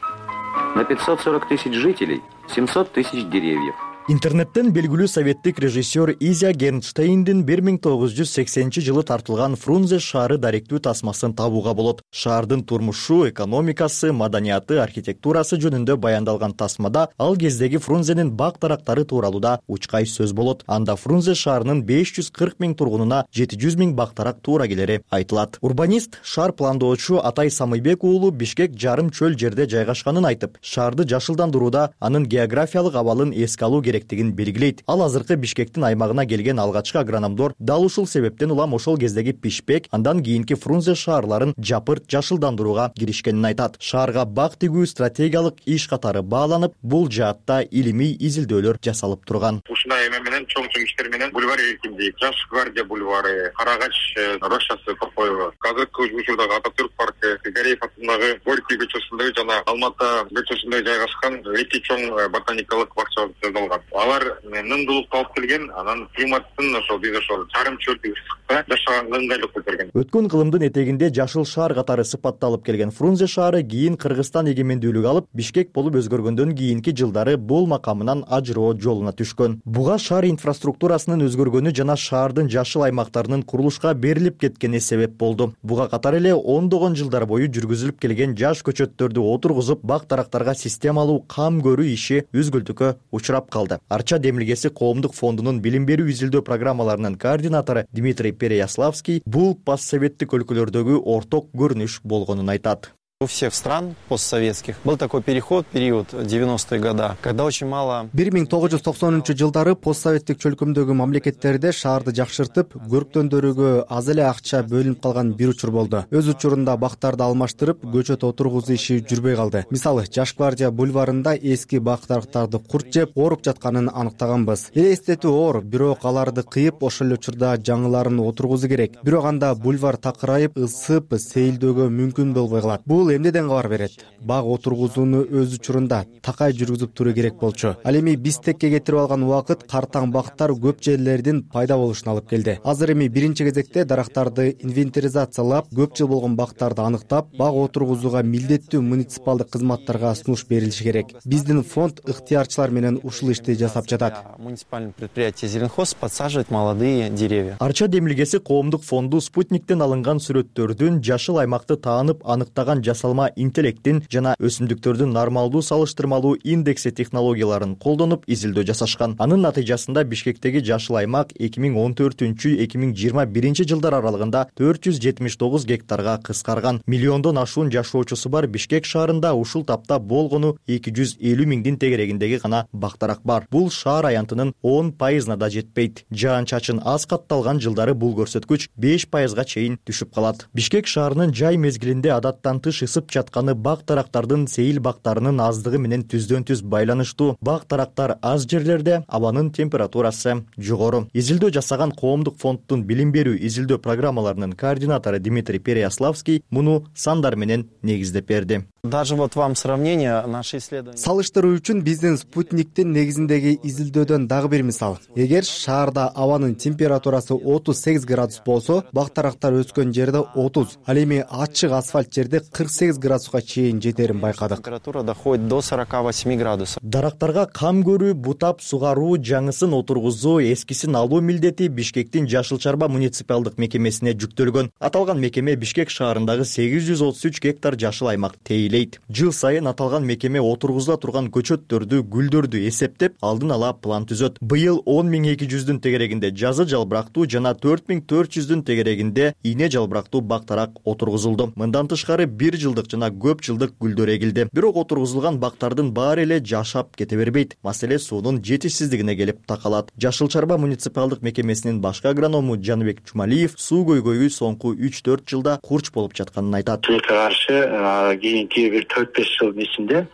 На 540 тысяч жителей 700 тысяч деревьев. Интернеттен белгилүү советтик режиссер Изя Гернштейндин 1980 тартылган Фрунзе шаары даректүү тасмасын табууга болот. Шаардын турмушу, экономикасы, маданияты, архитектурасы жөнүндө баяндалган тасмада ал кездеги Фрунзенин бак дарактары тууралуу учкай сөз болот. Анда Фрунзе шаарынын 540.000 тургунуна 700.000 бак дарак туура келери айтылат. Урбанист, шаар пландоочу Атай Самыйбек уулу Бишкек жарым чөл жерде жайгашканын айтып, шаарды жашылдандырууда анын географиялык абалын эске алуу керектигин белгилейт. Ал азыркы Бишкектин аймагына келген алгачкы агрономдор дал ушул себептен улам ошол кездеги Пишпек, андан кийинки Фрунзе шаарларын жапырт жашылдандырууга киришкенин айтат. Шаарга бак тигүү стратегиялык иш катары бааланып, бул жаатта илимий изилдөөлөр жасалып турган. Ушундай эме менен чоң иштер менен бульвар эркиндик, Жаш гвардия бульвары, Карагач рощасы Токоева, азыркы учурдагы Ататүрк паркы, Гареев атындагы Горький көчөсүндөгү жана Алмата көчөсүндө жайгашкан эки чоң ботаникалык бакча жасалган. Алар нымдуулукка алып келген, анан климаттын ошол биз ошол жарым чөлдүк ысыкта жашаганга ыңгайлык берген. Өткөн кылымдын этегинде жашыл шаар катары сыпатталып келген Фрунзе шаары кийин Кыргызстан эгемендүүлүк алып, Бишкек болуп өзгөргөндөн кийинки жылдары бул макамынан ажыроо жолуна түшкөн. Буга шаар инфраструктурасынын өзгөргөнү жана шаардын жашыл аймактарынын курулушка берилип кеткени себеп болду. Буга катар эле ондогон жылдар бою жүргүзүлүп келген жаш көчөттөрдү отургузуп, бак дарактарга системалуу кам көрүү иши үзгүлтүккө учурап калды. Арча демилгеси коомдук фондунун билим берүү изилдөө программаларынын координатору Дмитрий Переяславский бул постсоветтик өлкөлөрдөгү орток көрүнүш болгонун айтат. У всех стран постсоветских был такой период 90-е года, когда очень мало. 1990 постсоветтик чөлкөмдөгү мамлекеттерде шаарды жакшыртып, көрктөндөрүгө аз эле акча бөлүнүп калган бир учур болду. Өз учурунда бактарды алмаштырып, көчөт отургузуу иши жүрбөй калды. Мисалы, Жаш гвардия бульварында эски бак дарактарды курт жеп, ооруп жатканын аныктаганбыз. Элестетүү оор, бирок аларды кыйып, ошол эле учурда жаңыларын отургузуу керек. Бирок анда бульвар такырайып, ысып, сейилдөөгө мүмкүн болбой калат. Бул эмнеден кабар берет? Баг отургузууну өз учурунда такай жүргүзүп туруу керек болчу. Ал эми Бишкекке кетирип алган убакыт картаң бактар көп жерлердин пайда болушуна алып келди. Азыр эми биринчи кезекте дарактарды инвентаризациялап, көп жыл болгон бактарды аныктап, баг отургузууга милдеттүү муниципалдык кызматтарга сунуш берилиши керек. Биздин фонд ыктыярчылар менен ушул ишти жасап жатат. Муниципальное предприятие Зеленхоз подсаживает молодые деревья. Арча демилгеси коомдук фонду спутниктен алынган сүрөттөрдүн жашыл аймакты таанып аныктаган жасалма интеллекттин жана өсүмдүктөрдүн нормалдуу салыштырмалуу индекси технологияларын колдонуп изилдөө жасашкан. Анын натыйжасында Бишкектеги жашыл аймак 2014-2021 жылдар аралыгында 479 гектарга кыскарган. Миллиондон ашуун жашоочусу бар Бишкек шаарында ушул тапта болгону 250.000 тегерегиндеги гана бак дарак бар. Бул шаар аянтынын 10%на да жетпейт. Жаан-чачын аз катталган жылдары бул көрсөткүч 5%га чейин түшүп калат. Бишкек шаарынын жай мезгилинде адаттан тыш ысып жатканы бак дарактардын сейил бактарынын аздыгы менен түздөн түз байланыштуу. Бак дарактар аз жерлерде абанын температурасы жогору. Изилдөө жасаган коомдук фонддун билим берүү изилдөө программаларынын координатору Дмитрий Переяславский муну сандар менен негиздеп берди. Даже вот вам сравнение наши исследования. Салыштыруу үчүн биздин спутниктин негизиндеги изилдөөдөн дагы бир мисал. Эгер шаарда абанын температурасы 38 градус болсо, бак дарактар өскөн жерде 30, ал эми ачык асфальт жерде 48 градуска чейин жетерин байкадык. Температура доходит до 48 градусов. Дарактарга кам көрүү, бутап сугаруу, жаңысын отургузуу, эскисин алуу милдети Бишкектин Жашыл Чарба муниципалдык мекемесине жүктөлгөн. Аталган мекеме Бишкек шаарындагы 833 гектар жашыл аймак тейлейт. белгилейт. Жыл сайын аталган мекеме отургузула турган көчөттөрдү, гүлдөрдү эсептеп, алдын ала план түзөт. Быйыл 10.200 тегерегинде жазы жалбырактуу жана 4.400 тегерегинде ийне жалбырактуу бактарак отургузулду. Мындан тышкары 1 жылдык жана көп жылдык гүлдөр эгилди. Бирок отургузулган бактардын баары эле жашап кете бербейт. Маселе суунун жетишсиздигине келип такалат. Жашыл Чарба муниципалдык мекемесинин башкы агроному Жаныбек Чумалиев суу көйгөйү соңку 3-4 жылда курч болуп жатканын айтат. Тилекке каршы кийинки бир 4-5 жылдын ичинде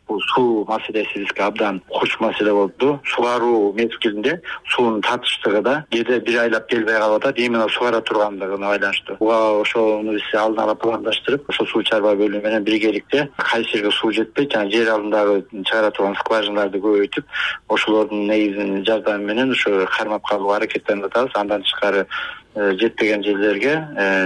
бул суу маселеси бизге абдан курч маселе болду. Сугаруу мезгилинде суунун татыштыгы да кээде бир айлап келбей калып атат, именно сугара тургандыгына байланыштуу. Буга ошону биз алдын ала пландаштырып, ошо суу чарба бөлүмү менен биргеликте кайсы жерге суу жетпейт, жана жер алдындагы чыгара турган скважиналарды көбөйтүп, ошолордун негизинин жардамы менен ошо кармап калууга аракеттенип атабыз. Андан тышкары жетпеген жерлерге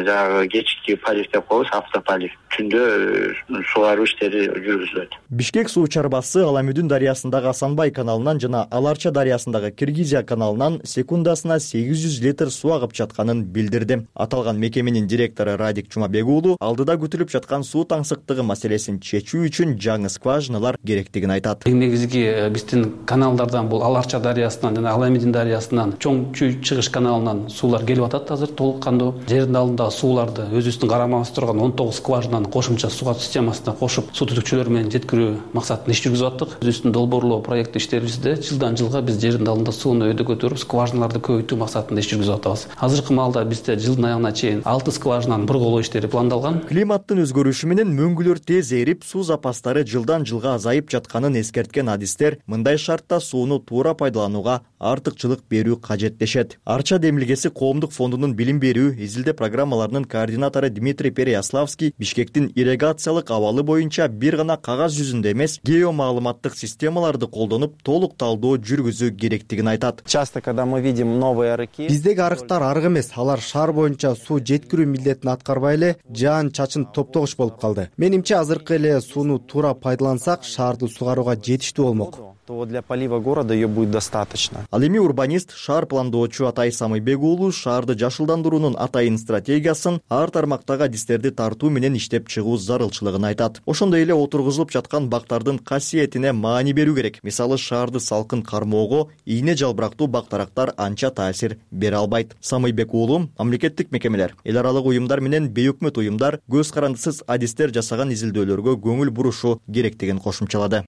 жанагы кечки полив деп коебуз, автополив. Түндө сугаруу иштери жүргүзүлөт. Бишкек суу чарбасы Аламүдүн дарыясындагы Асанбай каналынан жана Аларча дарыясындагы Киргизия каналынан секундасына 800 литр суу агып жатканын билдирди. Аталган мекеменин директору Радик Чумабек уулу алдыда күтүлүп жаткан суу таңсыктыгы маселесин чечүү үчүн жаңы скважиналар керектигин айтат. Негизги биздин каналдардан бул Аларча дарыясынан жана Аламүдүн дарыясынан чоң чыгыш каналынан суулар келип атат азыр толук кандуу. Жердин алдындагы сууларды өзүбүздүн карамабыз турган 19 скважинаны кошумча суу системасына кошуп, суу түтүкчөлөр менен жеткирүү максатында иш жүргүзүп аттык. Өзүбүздүн долбоорлоо проекти иштерибизде жылдан жылга биз жердин алдында сууну өйдө көтөрүп, скважиналарды көбөйтүү максатында иш жүргүзүп атабыз. Азыркы маалда бизде жылдын аягына чейин 6 скважинаны бурголоо иштери пландалган. Климаттын өзгөрүшү менен мөңгүлөр тез эрип, суу запастары жылдан жылга азайып жатканын эскерткен адистер мындай шартта сууну туура пайдаланууга артыкчылык берүү кажет дешет. Арча демилгеси коомдук фондунун билим берүү, изилдөө программаларынын координатору Дмитрий Переяславский Бишкектин ирригациялык абалы боюнча бир гана кагаз жүзүндө эмес, геомаалыматтык системаларды колдонуп, толук талдоо жүргүзүү керектигин айтат. Часто, когда мы видим новые арыки, биздеги арыктар арык эмес, алар шаар боюнча суу жеткирүү милдетин аткарбай эле жаан чачын топтогуч болуп калды. Менимче азыркы эле сууну туура пайдалансак, шаарды сугарууга жетиштүү болмок. То для полива города ее будет достаточно. Ал эми урбанист, шаар пландоочу Атай Самыйбек уулу шаарды жашылдандыруунун атайын стратегиясын ар тармактагы адистерди тартуу менен иштеп чыгуу зарылчылыгын айтат. Ошондой эле отургузулуп жаткан бактардын касиетине маани берүү керек. Мисалы, шаарды салкын кармоого ийне жалбырактуу бактарактар анча таасир бере албайт. Самыйбек уулу мамлекеттик мекемелер, эл аралык уюмдар менен бейөкмөт уюмдар көз карандысыз адистер жасаган изилдөөлөргө көңүл бурушу керектигин кошумчалады.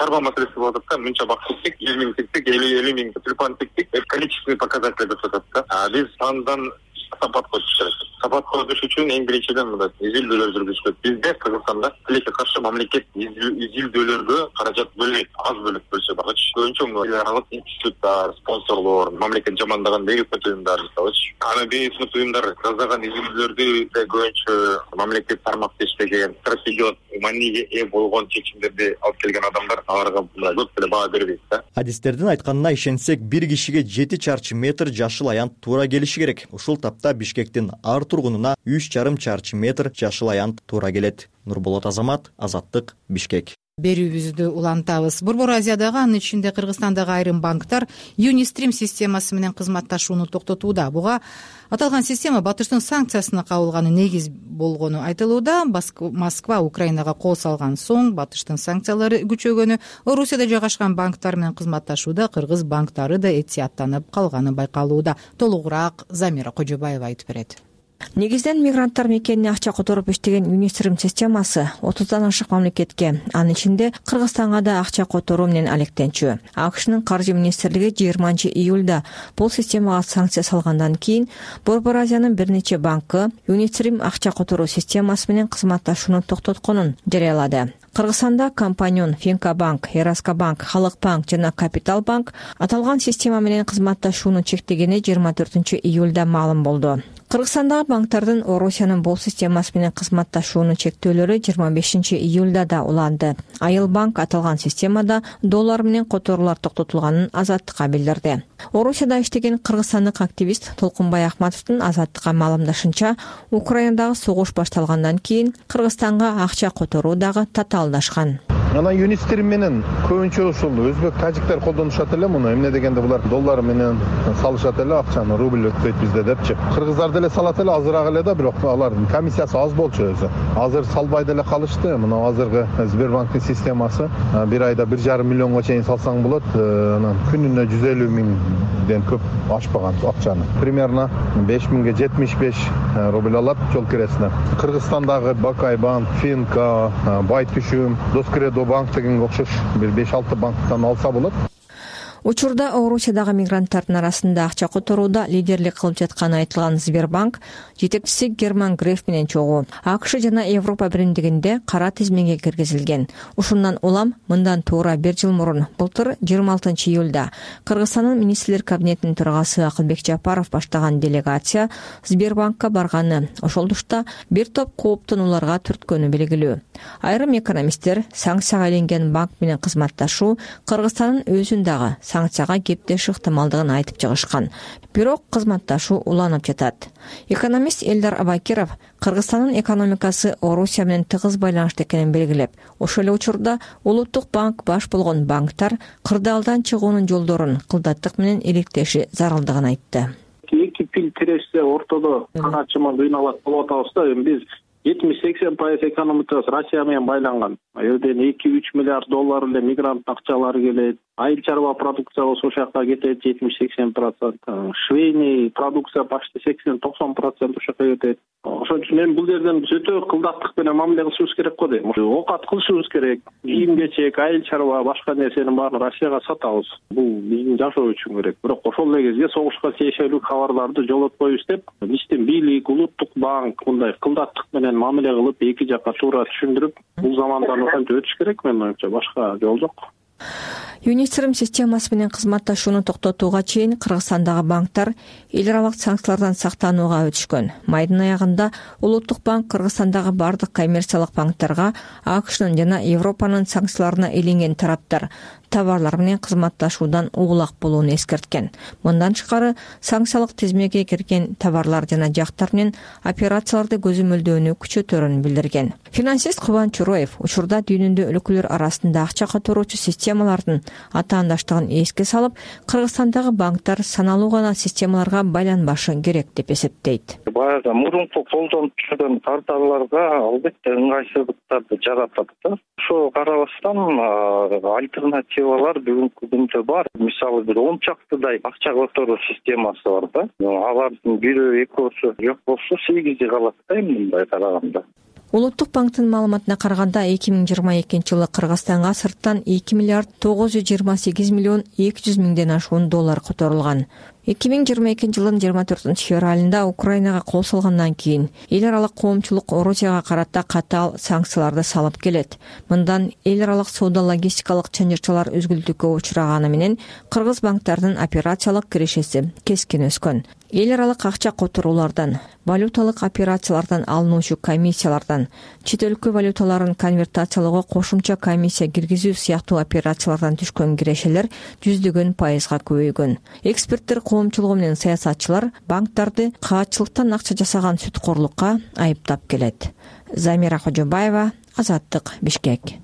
Чарба маселеси болуп атат да, мынча бак тиктик, 10 миң тиктик, 50 миң тюльпан тиктик, количественный показатель деп атат да. Биз сандан сапатка өтүш керек. Сапатка өтүш үчүн эң биринчиден мындай изилдөөлөр жүргүзүш керек. Бизде Кыргызстанда тилекке каршы мамлекет изилдөөлөргө каражат бөлбөйт, аз бөлүп бөлсө багычы. Көбүнчө эл аралык институттар, спонсорлор, мамлекет жамандаган бейөкмөт уюмдар мисалычы. Аны бейөкмөт уюмдар жасаган изилдөөлөрдү көбүнчө мамлекет тармакта иштеген, стратегиялык мааниге ээ болгон чечимдерди алып келген адамдар аларга көп деле баа бербейт да. Адистердин айтканына ишенсек, бир кишиге 7 чарчы метр жашыл аянт туура келиши керек. Ушул тапта Бишкектин ар тургунуна 3,5 чарчы метр жашыл аянт туура келет. Нурболот Азамат, Азаттык, Бишкек. Берүүбүздү улантабыз. Борбор Азиядагы, анын ичинде Кыргызстандагы айрым банктар Юнистрим системасы менен кызматташууну токтотууда. Буга аталган система Батыштын санкциясына кабылганы негиз болгону айтылууда. Москва Украинага кол салган соң Батыштын санкциялары күчөгөнү, Орусияда жайгашкан банктар менен кызматташууда кыргыз банктары да этияттанып калганы байкалууда. Толугураак Замира Кожобаева айтып берет. Негизден мигранттар мекенине акча которуп иштеген Юнистрим системасы 30дан ашык мамлекетке, анын ичинде Кыргызстанга да акча которуу менен алектенчү. АКШнын каржы министрлиги 20-июлда бул системага санкция салгандан кийин Борбор Азиянын бир нече банкы Юнистрим акча которуу системасы менен кызматташууну токтотконун жарыялады. Кыргызстанда Компаньон, Финкабанк, Ераскабанк, Халык банк жана Капитал банк аталган система менен кызматташууну чектегени 24-июлда маалым болду. Кыргызстандагы банктардын Орусиянын бул системасы менен кызматташууну чектөөлөрү 25-июлда да уланды. Айыл банк аталган системада доллар менен которуулар токтотулганын Азаттыкка билдирди. Орусияда иштеген кыргызстандык активист Толкунбай Ахматовдун Азаттыкка маалымдашынча, Украинадагы согуш башталгандан кийин Кыргызстанга акча которуу дагы татаалдашкан. Анан юнисттер менен көбүнчө ушул өзбек, тажиктер колдонушат эле муну. Эмне дегенде булар доллар менен салышат эле акчаны, рубль өтпөйт бизде депчи. Кыргыздар деле салат эле, азыраак эле да, бирок алардын комиссиясы аз болчу өзү. Азыр салбай деле калышты. Мына азыркы Сбербанктын системасы 1 айда 1,5 миллионго чейин салсаң болот. Анан күнүнө 150 миңден көп ашпаган акчаны. Примерно 5 миңге 75 рубль алат жол киресине. Кыргызстандагы Бакай банк, Финка, Байтүшүм, Доскредо банк дегенге окшош бир 5-6 банктан алса болот. Учурда Орусиядагы мигранттардын арасында акча которууда лидерлик кылып жатканы айтылган Сбербанк жетекчиси Герман Греф менен чогуу АКШ жана Европа биримдигинде кара тизмеге киргизилген. Ушундан улам мындан туура 1 жыл мурун, былтыр 26 июлда Кыргызстандын министрлер кабинетинин төрагасы Акылбек Жапаров баштаган делегация Сбербанкка барганы, ошол тушта бир топ кооптонууларга түрткөнү белгилүү. Айрым экономисттер санкцияга иленген банк менен кызматташуу Кыргызстандын өзүн дагы санкцияга кептеш ыктымалдыгын айтып чыгышкан. Бирок кызматташуу уланып жатат. Экономист Элдар Абакиров Кыргызстандын экономикасы Орусия менен тыгыз байланышта экенин белгилеп, ошол эле учурда Улуттук банк баш болгон банктар кырдаалдан чыгуунун жолдорун кылдаттык менен иликтеши зарылдыгын айтты. Эки пил тирешсе ортодо канатчыман ыйналат болуп атабыз да. Биз 70-80% экономикасы Россия менен байланган. Элден 2-3 миллиард доллар эле мигрант акчалары келет. Айыл чарба продукция болсо ошол жака кетет 70-80%. Швейный продукция почти 80-90% ошол жака кетет. Ошон үчүн эми бул жерден биз өтө кылдаттык менен мамиле кылышыбыз керек го дейм. Оокат кылышыбыз керек. Кийим-кечек, айыл чарба, башка нерсенин баарын Россияга сатабыз. Бул биздин жашоо үчүн керек. Бирок ошол эле кезде согушка тиешелүү кабарларды жолотпойбуз деп, биздин бийлик, Улуттук банк мындай кылдаттык менен мамиле кылып, эки жакка туура түшүндүрүп, бул замандан ошентип өтүш керек, менин оюмча. Башка жол жок. Юнистрим системасы менен кызматташууну токтотууга чейин Кыргызстандагы банктар эл аралык санкциялардан сактанууга өтүшкөн. Майдын аягында Улуттук банк Кыргызстандагы бардык коммерциялык банктарга АКШнын жана Европанын санкцияларына иленген тараптар товарлар менен кызматташуудан угулак болууну эскерткен. Мындан тышкары санкциялык тизмеге кирген товарлар жана жактар менен операцияларды көзөмөлдөөнү күчөтөрүн билдирген. Финансист Кубан Чуроев учурда дүйнөдө өлкөлөр арасында акча которуучу системалардын атаандаштыгын эске салып, Кыргызстандагы банктар саналуу гана системаларга байланбашы керек деп эсептейт. Баягы мурунку колдонуп жүргөн порталларга албетте ыңгайсыздыктарды жаратат да. Ошого карабастан альтернативалар бүгүнкү күндө бар. Мисалы бир 10 чактыдай акча которуу системасы бар да. Алардын бирөө экөөсү жок болсо 8 калат да мындай караганда. Улуттук банктын маалыматына караганда 2022 жылы Кыргызстанга сырттан 2 миллиард 928 миллион 200 миңден ашуун доллар которулган. 2022 жылдын 24 февралында Украинага кол салгандан кийин эл аралык коомчулук Орусияга карата катаал санкцияларды салып келет. Мындан эл аралык соода логистикалык чанжырчалар өзгүлтүккө учураганы менен кыргыз банктардын операциялык кирешеси кескин өскөн. Эл аралык акча которуулардан, валюталык операциялардан алынуучу комиссиялардан, чет өлкө валюталарын конвертациялоого кошумча комиссия киргизүү сыяктуу операциялардан түшкөн кирешелер 100% көбөйгөн. Эксперттер коомчулугу менен саясатчылар банктарды каатчылыктан акча жасаган сүткорлукка айыптап келет. Замира Кожобаева, Азаттык, Бишкек.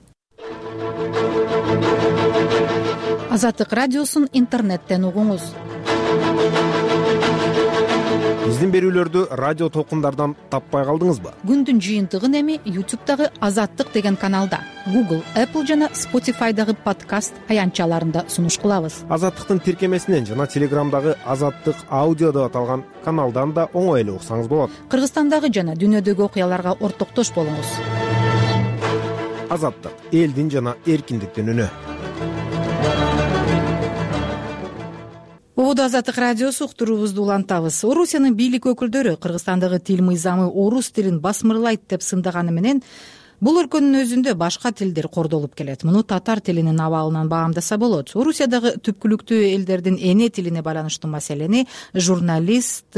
Азаттык радиосун интернеттен угуңуз. Биздин берүүлөрдү радио толкундардан таппай калдыңызбы? Күндүн жыйынтыгын эми YouTube'дагы Азаттык деген каналда, Google, Apple жана Spotify'дагы подкаст аянтчаларында сунуш кылабыз. Азаттыктын тиркемесинен жана Телеграмдагы Азаттык аудио деп аталган каналдан да оңой эле уксаңыз болот. Кыргызстандагы жана дүйнөдөгү окуяларга ортоктош болуңуз. Азаттык — элдин жана эркиндиктин үнү. Ободо Азаттык радиосу уктуруубузду улантабыз. Орусиянын бийлик өкүлдөрү Кыргызстандагы тил мыйзамы орус тилин басмырлайт деп сындаганы менен бул өлкөнүн өзүндө башка тилдер кордолуп келет. Муну татар тилинин абалынан баамдаса болот. Орусиядагы түпкүлүктүү элдердин эне тилине байланыштуу маселени журналист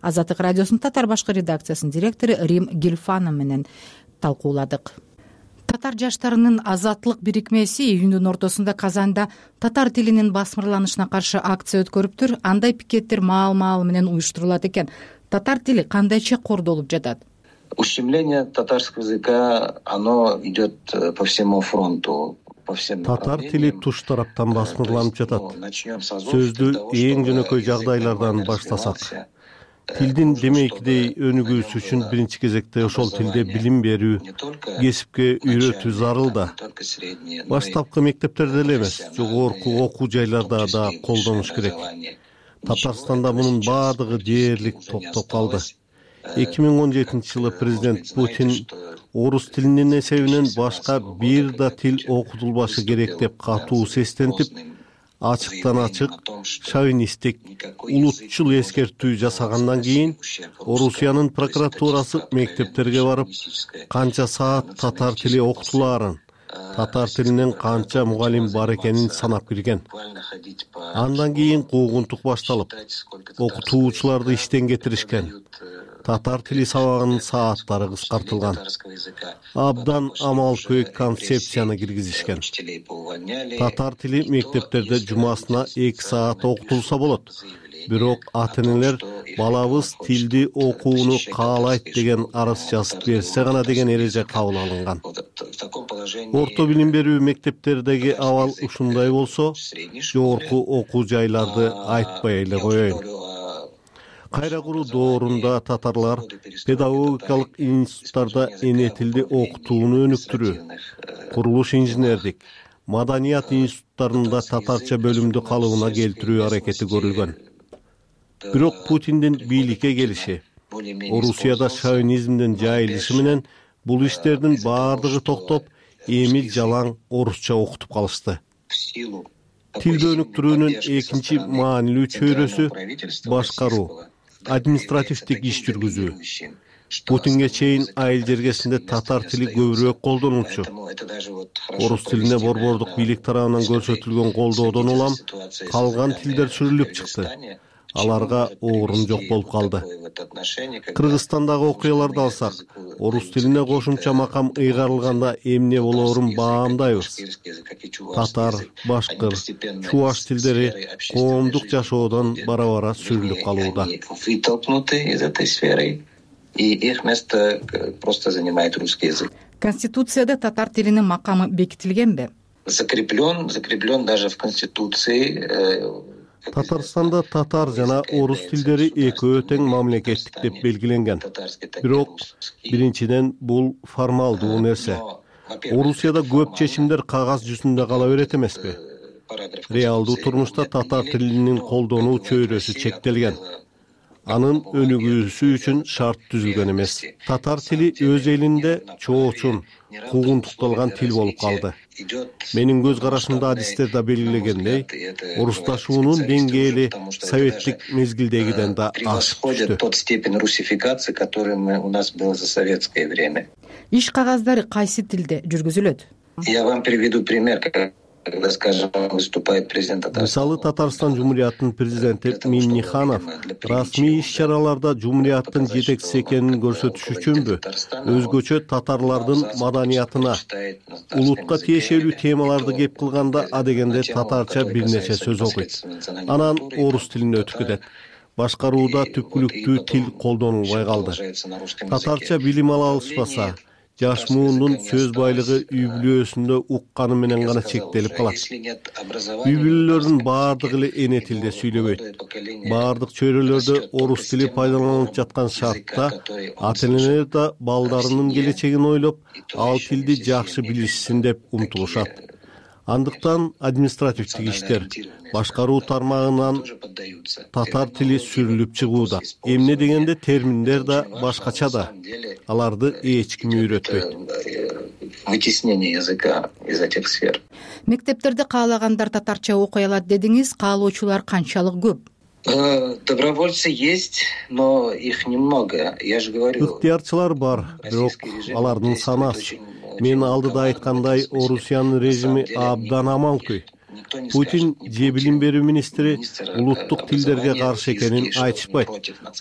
Азаттык радиосунун татар башкы редакциясынын директору Рим Гилфанов менен талкууладык. Татар жаштарынын азаттык бирикмеси июндун ортосунда Казанда татар тилинин басмырланышына каршы акция өткөрүптүр. Андай пикеттер маал-маал менен уюштурулат экен. Татар тили кандайча кордолуп жатат? Ущемление татарского языка, оно идет по всему фронту. Татар тили туш тараптан басмырланып жатат. Сөздү эң жөнөкөй жагдайлардан баштасак, тилдин демейкидей өнүгүүсү үчүн биринчи кезекте ошол тилде билим берүү, кесипке үйрөтүү зарыл да. Баштапкы мектептерде эле эмес, жогорку окуу жайларда да колдонуш керек. Татарстанда мунун баардыгы дээрлик токтоп калды. 2017-жылы президент Путин орус тилинин эсебинен башка бир да тил окутулбашы керек деп катуу сестентип, ачыктан ачык шовинисттик, улутчул эскертүү жасагандан кийин Орусиянын прокуратурасы мектептерге барып, канча саат татар тили окутулаарын, татар тилинен канча мугалим бар экенин санап кирген. Андан кийин куугунтук башталып, окутуучуларды иштен кетиришкен. Татар тили сабагынын сааттары кыскартылган. Абдан амал-көйк концепцияны киргизишкен. Татар тили мектептерде жумасына 2 саат окутулса болот. Бирок ата-энелер балабыз тилди окууну каалайт деген арыз жазып берсе гана деген эреже кабыл алынган. Орто билим берүү мектептердеги абал ушундай болсо, жогорку окуу жайларды айтпай эле коеюн. Кайра куруу доорунда татарлар педагогикалык институттарда эне тилди окутууну өнүктүрүү, курулуш инженердик, маданият институттарында татарча бөлүмдү калыбына келтирүү аракети көрүлгөн. Бирок Путиндин бийликке келиши, Орусияда шовинизмдин жайылышы менен бул иштердин баардыгы токтоп, эми жалаң орусча окутуп калышты. Тилди өнүктүрүүнүн экинчи маанилүү чөйрөсү башкаруу, административдик иш жүргүзүү. Путинге чейин айыл жергесинде татар тили көбүрөөк колдонулчу. Орус тилине борбордук бийлик тарабынан көрсөтүлгөн колдоодон улам калган тилдер сүрүлүп чыкты. Аларга орун жок болуп калды. Кыргызстандагы окуяларды алсак, орус тилине кошумча макам ыйгарылганда эмне болоорун баамдайбыз. Татар, башкыр, чуваш тилдери коомдук жашоодон бара-бара сүрүлүп калууда. И их место просто занимает русский язык. Конституцияда татар тилинин макамы бекитилгенби? Закреплен даже в Конституции. Татарстанда татар жана орус тилдери экөө тең мамлекеттик деп белгиленген. Бирок биринчиден бул формалдуу нерсе. Орусияда көп чечимдер кагаз жүзүндө кала берет эмеспи? Реалдуу турмушта татар тилинин колдонуу чөйрөсү чектелген. Анын өнүгүүсү үчүн шарт түзүлгөн эмес. Татар тили өз элинде чоочун, куугунтукталган тил болуп калды. Менин көз карашымда адистерде белгилегендей, орусташуунун деңгээли советтик мезгилдегиден да ашып түштү. Тот степень русификации, который у нас был за советское время. Иш кагаздары кайсы тилде жүргүзүлөт? Я вам приведу пример. Когда, скажем, выступает президент Татарстана. Мисалы, Татарстан Жумурияттын президенти Минниханов расмий иш-чараларда Жумурияттын жетекчиси экенин көрсөтүш үчүнбү, өзгөчө татарлардын маданиятына, улутка тиешелүү темаларды кеп кылганда адегенде татарча бир нече сөз окуйт. Анан орус тилине өтүп кетет. Башкарууда түпкүлүктүү тил колдонулбай калды. Татарча билим ала алышпаса, жаш муундун сөз байлыгы үй бүлөсүндө укканы менен гана чектелип калат. Үй бүлөлөрдүн баардыгы эле эне тилде сүйлөбөйт. Баардык чөйрөлөрдө орус тили пайдаланылып жаткан шартта ата-энелер да балдарынын келечегин ойлоп, ал тилди жакшы билишсин деп умтулушат. Андыктан административдик иштер, башкаруу тармагынан татар тили сүрүлүп чыгууда. Эмне дегенде терминдер да башкача да. Аларды эч ким үйрөтпөйт. Вытеснение языка из этих сфер. Мектептерде каалагандар татарча окуй алат дедиңиз, каалоочулар канчалык көп? Добровольцы есть, но их немного. Я же говорю. Ыктыярчылар бар, бирок алардын санасы. Мен алдыда айткандай, Орусиянын режими абдан амалкөй. Путин же билим берүү министри улуттук тилдерге каршы экенин айтышпайт.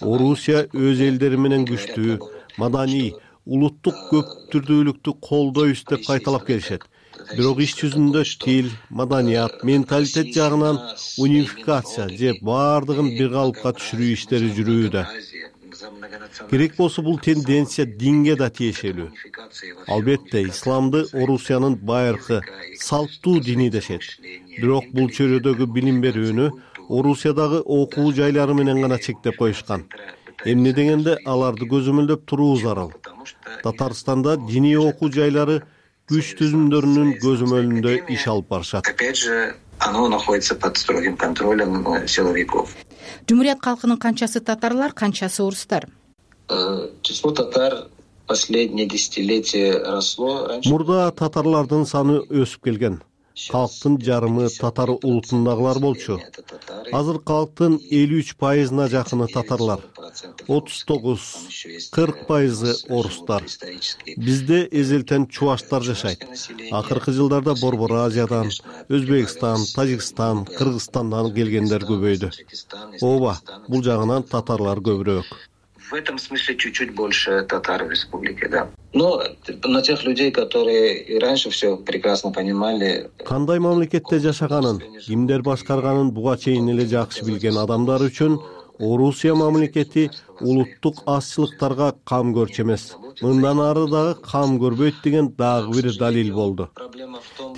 Орусия өз элдери менен күчтүү, маданий, улуттук көптүрдүүлүктү колдойбуз деп кайталап келишет. Бирок иш жүзүндө тил, маданият, менталитет жагынан унификация же баардыгын бир калыпка түшүрүү иштери жүрүүдө. Керек болсо бул тенденция динге да тиешелүү. Албетте исламды Орусиянын байыркы салттуу дини дешет. Бирок бул чөйрөдөгү билим берүүнү Орусиядагы окуу жайлары менен гана чектеп коюшкан. Эмне дегенде аларды көзөмөлдөп туруу зарыл. Татарстанда диний окуу жайлары күч түзүмдөрүнүн көзөмөлүндө иш алып барышат. Оно находится под строгим контролем силовиков. Жумурiyat калкынын канчасы татарлар, канчасы орустар? Число татар последние десятилетия росло. Мурда татарлардын саны өсүп келген. Калктын жарымы татар улутундагылар болчу. Азыр калктын 53% жакыны татарлар, 39-40% орустар. Бизде эзелтен чуваштар жашайт. Акыркы жылдарда Борбор Азиядан, Өзбекстан, Тажикстан, Кыргызстандан келгендер көбөйдү. Ооба, бул жагынан татарлар көбүрөөк. В этом смысле чуть-чуть больше татар в республике, да. Но на тех людей, которые и раньше все прекрасно понимали. Кандай мамлекетте жашаганын, кимдер башкарганын буга чейин эле жакшы билген адамдар үчүн Орусия мамлекети улуттук азчылыктарга кам көрчү эмес. Мындан ары дагы кам көрбөйт деген дагы бир далил болду.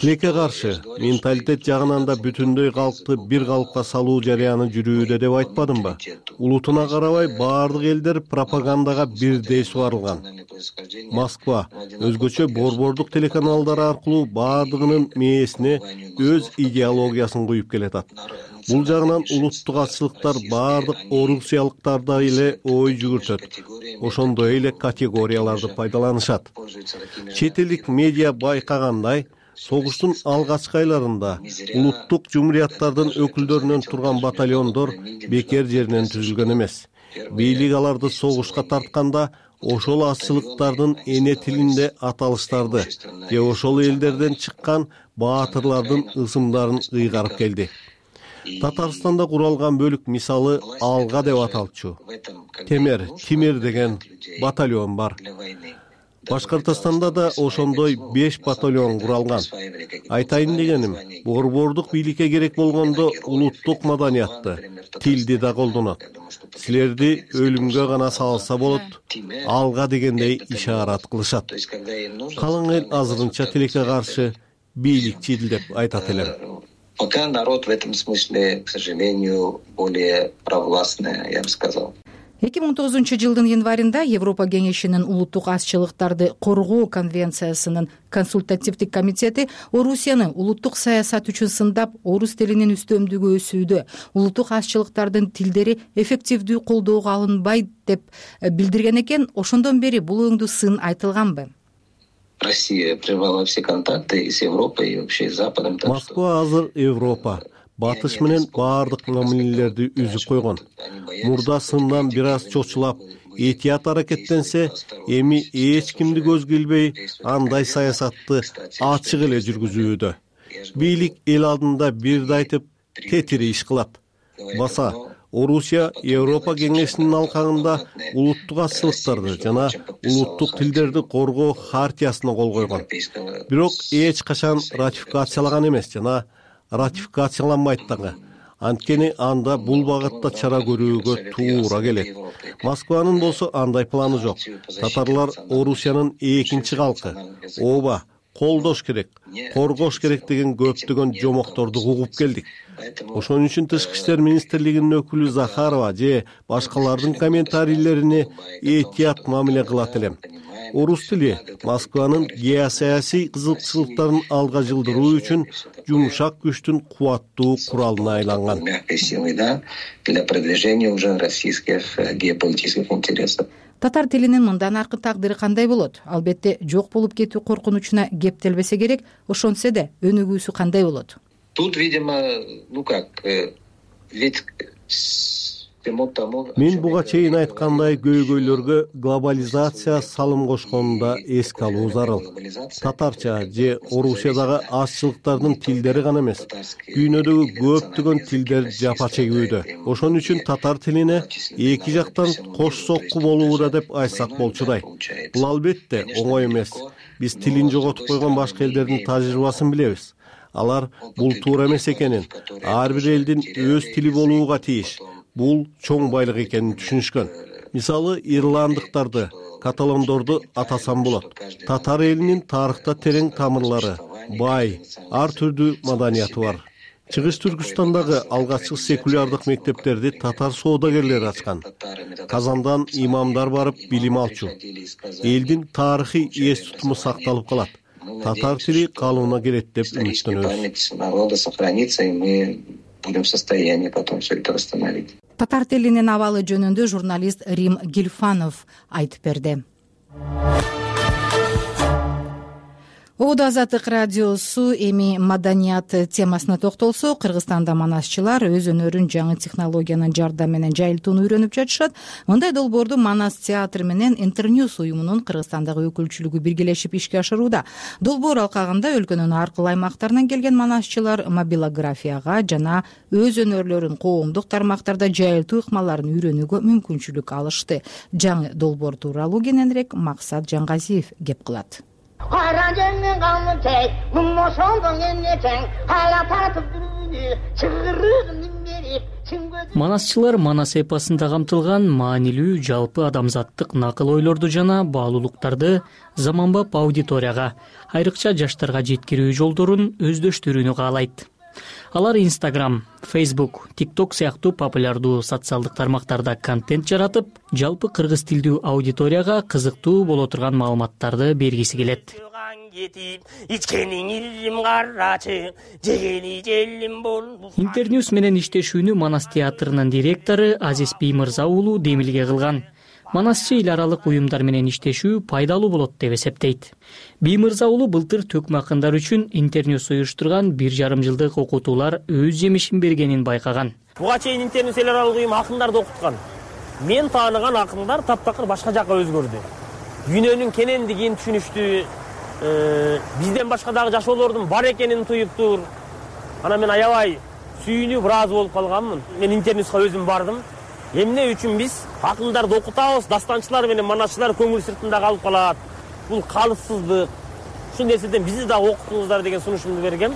Тилекке каршы менталитет жагынан да бүтүндөй калкты бир калыпка салуу жарыяны жүрүүдө деп айтпадымбы? Улутуна карабай баардык элдер пропагандага бирдей суарылган. Москва өзгөчө борбордук телеканалдар аркылуу баардыгынын мээсине өз идеологиясын куюп келатат. Бул жагынан улуттук азчылыктар баардык орусиялыктарда эле ой жүгүртөт. Ошондой эле категорияларды пайдаланышат. Чет элдик медиа байкагандай, согуштун алгачкы айларында улуттук жумурияттардын өкүлдөрүнөн турган батальондор бекер жеринен түзүлгөн эмес. Бийлик аларды согушка тартканда ошол азчылыктардын эне тилинде аталыштарды же ошол элдерден чыккан баатырлардын ысымдарын ыйгарып келди. Татарстанда куралган бөлүк мисалы Алга деп аталчу. Тимир деген батальон бар. Башкортостанда да ошондой 5 батальон куралган. Айтайын дегеним, борбордук бийликке керек болгондо улуттук маданиятты, тилди да колдонот. Силерди өлүмгө гана салса болот, Алга дегендей ишарат кылышат. Калың эл азырынча тилекке каршы бийликчил деп айтат элем. Пока народ в этом смысле, к сожалению, более провластный, я бы сказал. 2019 январында Европа кеңешинин улуттук азчылыктарды коргоо конвенциясынын консультативдик комитети Орусияны улуттук саясат үчүн сындап, орус тилинин үстөмдүгү өсүүдө, улуттук азчылыктардын тилдери эффективдүү колдоого алынбайт деп билдирген экен. Ошондон бери бул өңдүү сын айтылганбы? Россия прервала все контакты с Европой и вообще с Западом. Москва азыр Европа, батыш менен баардык мамилелерди үзүп койгон. Мурда сындан бир аз чочулап, этият аракеттенсе, эми эч кимди көзгө илбей, андай саясатты ачык эле жүргүзүүдө. Бийлик эл алдында бирди айтып, тетири иш кылат. Баса Орусия Европа кеңешинин алкагында улуттук азчылыктарды жана улуттук тилдерди коргоо хартиясына кол койгон. Бирок эч качан ратификациялаган эмес жана ратификацияланбайт дагы. Анткени анда бул багытта чара көрүүгө туура келет. Москванын болсо андай планы жок. Татарлар Орусиянын экинчи калкы. Ооба, колдош керек, коргош керек деген көптөгөн жомокторду угуп келдик. Ошон үчүн Тышкы иштер министрлигинин өкүлү Захарова же башкалардын комментарийлерине этият мамиле кылат элем. Орус тили Москванын геосаясий кызыкчылыктарын алга жылдыруу үчүн жумшак күчтүн кубаттуу куралына айланган. Для продвижения уже российских геополитических интересов. Татар тилинин мындан аркы тагдыры кандай болот? Албетте жок болуп кетүү коркунучуна кептелбесе керек, ошонтсе да өнүгүүсү кандай болот? Тут, видимо, ведь мен буга чейин айткандай көйгөйлөргө глобализация салым кошконун эске алуу зарыл. Татарча же Орусиядагы азчылыктардын тилдери гана эмес, дүйнөдөгү көптөгөн тилдер жапа чегүүдө. Ошон үчүн татар тилине эки жактан кош сокку болууда деп айтсак болчудай. Бул албетте оңой эмес. Биз тилин жоготуп койгон башка элдердин тажрыйбасын билебиз. Алар бул туура эмес экенин, ар бир элдин өз тили болууга тийиш. Бул чоң байлык экенин түшүнүшкөн. Мисалы, ирландыктарды, каталондорду атасам болот. Татар элинин тарыхта терең тамырлары, бай, ар түрдүү маданияты бар. Чыгыш Түркүстандагы алгачкы секулярдык мектептерди татар соодагерлери ачкан. Казандан имамдар барып билим алчу. Элдин тарыхый эс тутуму сакталып калат. Татар тили калыбына келет деп үмүттөнөбүз. Татар тилинин абалы жөнүндө журналист Рим Гильфанов айтып берди. Оодо Азаттык радиосу эми маданият темасына токтолсо, Кыргызстанда манасчылар өз өнөрүн жаңы технологиянын жардамы менен жайылтууну үйрөнүп жатышат. Мындай долбоорду Манас театры менен Интерньюс уюмунун Кыргызстандагы өкүлчүлүгү биргелешип ишке ашырууда. Долбоор алкагында өлкөнүн ар кыл аймактарынан келген манасчылар мобилографияга жана өз өнөрлөрүн коомдук тармактарда жайылтуу ыкмаларын үйрөнүүгө мүмкүнчүлүк алышты. Жаңы долбоор тууралуу кененирээк Максат Жаңгазиев кеп кылат. Манасчылар Манас эпосунда камтылган маанилүү жалпы адамзаттык накыл ойлорду жана баалуулуктарды заманбап аудиторияга, айрыкча жаштарга жеткирүү жолдорун өздөштүрүүнү каалайт. Алар Instagram, Facebook, TikTok сыяктуу популярдуу социалдык тармактарда контент жаратып, жалпы кыргыз тилдүү аудиторияга кызыктуу боло турган маалыматтарды бергиси келет. Интерньюс менен иштешүүнү Манас театрынын директору Азиз Биймырза уулу демилге кылган. Манасчы эл аралык уюмдар менен иштешүү пайдалуу болот деп эсептейт. Биймырза уулу былтыр төкмө акындар үчүн Интерньюс уюштурган 1,5 жылдык окутуулар өз жемишин бергенин байкаган. Буга чейин Интерньюс эл аралык уюм акындарды окуткан. Мен тааныган акындар таптакыр башка жакка өзгөрдү. Дүйнөнүн кенендигин түшүнүштү, бизден башка дагы жашоолордун бар экенин туюптур. Анан мен аябай сүйүнүп ыраазы болуп калганмын. Мен Интерньюска өзүм бардым. Эмне үчүн биз акындарды окутабыз, дастанчылар менен манасчылар көңүл сыртында калып калат. Бул калыпсыздык. Ушул нерседен бизди да окутуңуздар деген сунушумду бергем.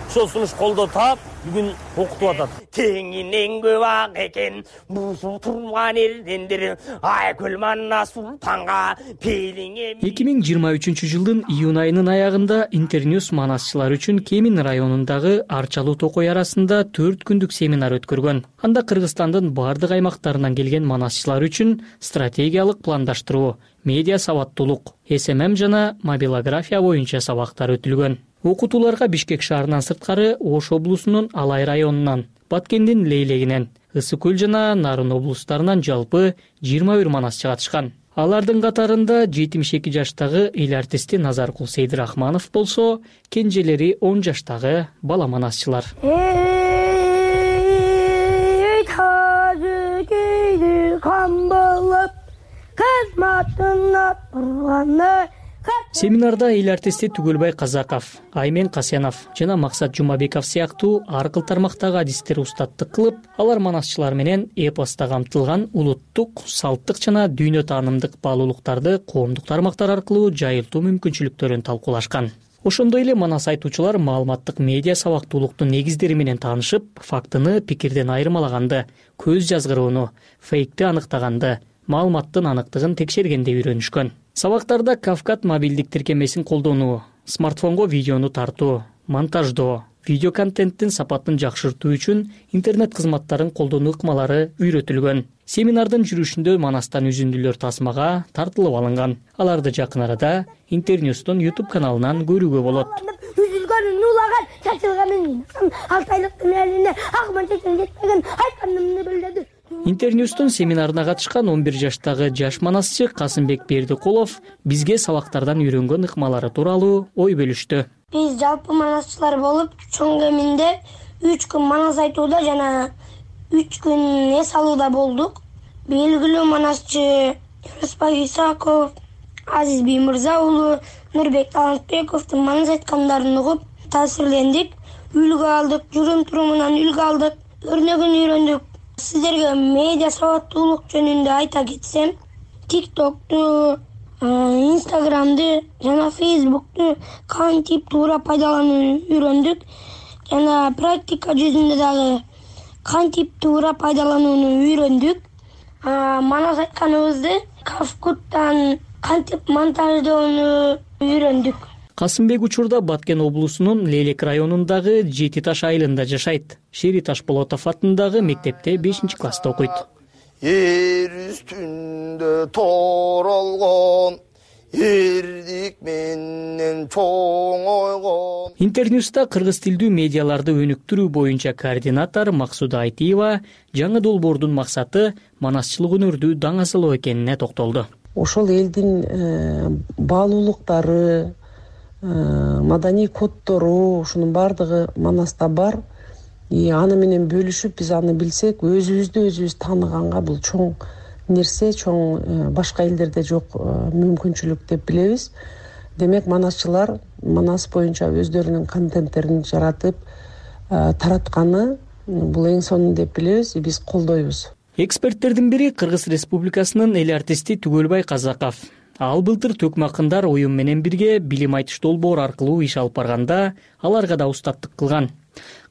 Ошол сунуш колдоо таап, бүгүн окутуп атат. Теңинен көп ак экен, бузу турган элдендер, айкөл Манас султанга пелиңе. 2023 жылдын июнь айынын аягында Интерньюс манасчылар үчүн Кемин районундагы Арчалуу Токой арасында 4 күндүк семинар өткөргөн. Анда Кыргызстандын бардык аймактарынан келген манасчылар үчүн стратегиялык пландаштыруу, медиа сабаттуулук, СММ жана мобилография боюнча сабактар өтүлгөн. Окутууларга Бишкек шаарынан сырткары Ош облусунун Алай районунан, Баткендин Лейлегинен, Ысык көл жана Нарын облустарынан жалпы 21 манасчы катышкан. Алардын катарында 72 жаштагы эл артисти Назаркул Сейдирахманов болсо, кенжелери 10 жаштагы бала манасчылар. Семинарда эл артисти Түгөлбай Казаков, Аймен Касенов жана Максат Жумабеков сыяктуу ар кыл тармактагы адистер устаттык кылып, алар манасчылар менен эпоста камтылган улуттук, салттык жана дүйнө таанымдык баалуулуктарды коомдук тармактар аркылуу жайылтуу мүмкүнчүлүктөрүн талкуулашкан. Ошондой эле манас айтуучулар маалыматтык медиа сабактуулуктун негиздери менен таанышып, фактыны пикирден айырмалаганды, көз жазгырууну, фейкти аныктаганды, маалыматтын аныктыгын текшергенди үйрөнүшкөн. Сабактарда Кавкат мобилдик тиркемесин колдонуу, смартфонго видеону тартуу, монтаждоо, видео контенттин сапатын жакшыртуу үчүн интернет кызматтарын колдонуу ыкмалары үйрөтүлгөн. Семинардын жүрүшүндө Манастан үзүндүлөр тасмага тартылып алынган. Аларды жакын арада Интерньюстун YouTube каналынан көрүүгө болот. Үзүлгөнүн улаган, чачылганын, 6 айлыктын элине акман чечен жетпеген айтканымды билдирди. Интерньюстун семинарына катышкан 11 жаштагы жаш манасчы Касымбек Бердикулов бизге сабактардан үйрөнгөн ыкмалары тууралуу ой бөлүштү. Биз жалпы манасчылар болуп, чоң кеминде 3 күн манас айтууда жана 3 күн эс алууда болдук. Белгилүү манасчы Юрусбай Исаков, Азиз Биймырза уулу, Нурбек Талантбековдун манас айткандарын угуп таасирлендик. Үлгү алдык, жүрүм-турумунан үлгү алдык, өрнөгүн үйрөндүк. Сиздерге медиа сабаттуулук жөнүндө айта кетсем, TikToкту, Instagramды жана Facebooktу кантип туура пайдаланууну үйрөндүк. Жана практика жүзүндө дагы кантип туура пайдаланууну үйрөндүк. манас айтканыбызды Кавкуттан кантип монтаждоону үйрөндүк. Касымбек учурда Баткен облусунун Лелек районундагы Жети Таш айылында жашайт. Шери Ташполотов атындагы мектепте 5-класста окуйт. Эр үстүндө торолгон эрдик менен чоң ойгон. Интерньюста кыргыз тилдүү медиаларды өнүктүрүү боюнча координатор Максуда Айтиева жаңы долбоордун максаты манасчылык өнөрдү даңазалоо экенине токтолду. Ошол элдин баалуулуктары, маданий коддору, ушунун баардыгы манаста бар. Аны менен бөлүшүп биз аны билсек, өзүбүздү өзүбүз тааныганга бул чоң нерсе, чоң башка элдерде жок мүмкүнчүлүк деп билебиз. Демек манасчылар манас боюнча өздөрүнүн контенттерин жаратып таратканы бул эң сонун деп билебиз, биз колдойбуз. Эксперттердин бири Кыргыз Республикасынын эл артисти Түгөлбай Казаков. Ал былтыр Төкмакындар уюм менен бирге билим айтыш долбоор аркылуу иш алып барганда аларга да устаттык кылган.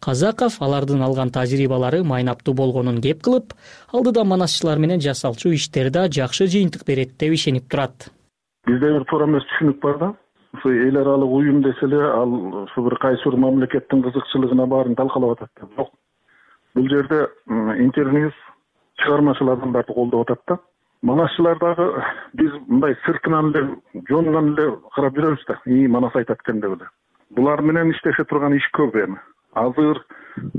Казаков алардын алган тажрыйбалары майнаптуу болгонун кеп кылып, алдыда манасчылар менен жасалчу иштер да жакшы жыйынтык берет деп ишенип турат. Бизде бир туура эмес түшүнүк бар да. Ушу эл аралык уюм десе эле ал ушу бир кайсы бир мамлекеттин кызыкчылыгына баарын талкалап атат да. Жок. Бул жерде интерньюс чыгармачыл адамдарды колдоп атат да. Манасчылар дагы биз мындай сыртынан эле жонунан эле карап жүрөбүз да. Манас айтат экен деп эле. Булар менен иштеше турган иш көп эми. Азыр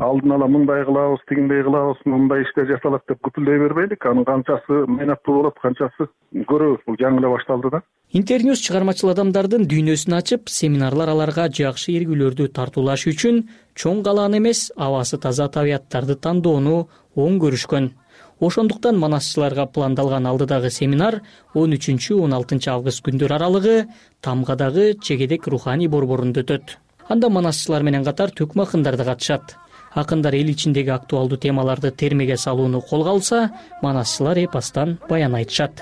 алдын ала мындай кылабыз, тигиндей кылабыз, мындай иштер жасалат деп күтүлдөй бербейлик. Анын канчасы майнаттуу болот, канчасы көрөбүз. Бул жаңы эле башталды да. Интерньюс чыгармачыл адамдардын дүйнөсүн ачып, семинарлар аларга жакшы эргүүлөрдү тартуулаш үчүн чоң калаан эмес, абасы таза табияттарды тандоону оң көрүшкөн. Ошондуктан манасчыларга пландалган алдыдагы семинар 13-16 август күндөр аралыгы Тамгадагы Чегедек руханий борборунда өтөт. Анда манасчылар менен катар Төкмакындар да катышат. Акындар эл ичиндеги актуалдуу темаларды термеге салууну колго алса, манасчылар эпостон баян айтышат.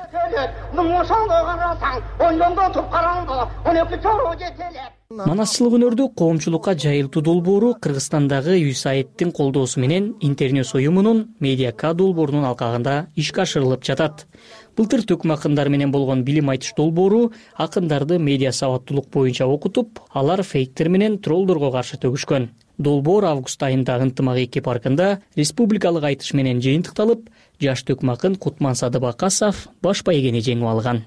Манасчылык өнөрдү коомчулукка жайылтуу долбоору Кыргызстандагы USAID-тин колдоосу менен Интерньюс уюмунун Медиака долбоорунун алкагында ишке ашырылып жатат. Былтыр Төкмакындар менен болгон билим айтыш долбоору акындарды медиа сабаттуулук боюнча окутуп, алар фейктер менен троллдорго каршы төгүшкөн. Долбоор август айында Ынтымак 2 паркында республикалык айтыш менен жыйынтыкталып, жаш Төкмакын Кутман Садыбакасов баш байгени жеңип алган.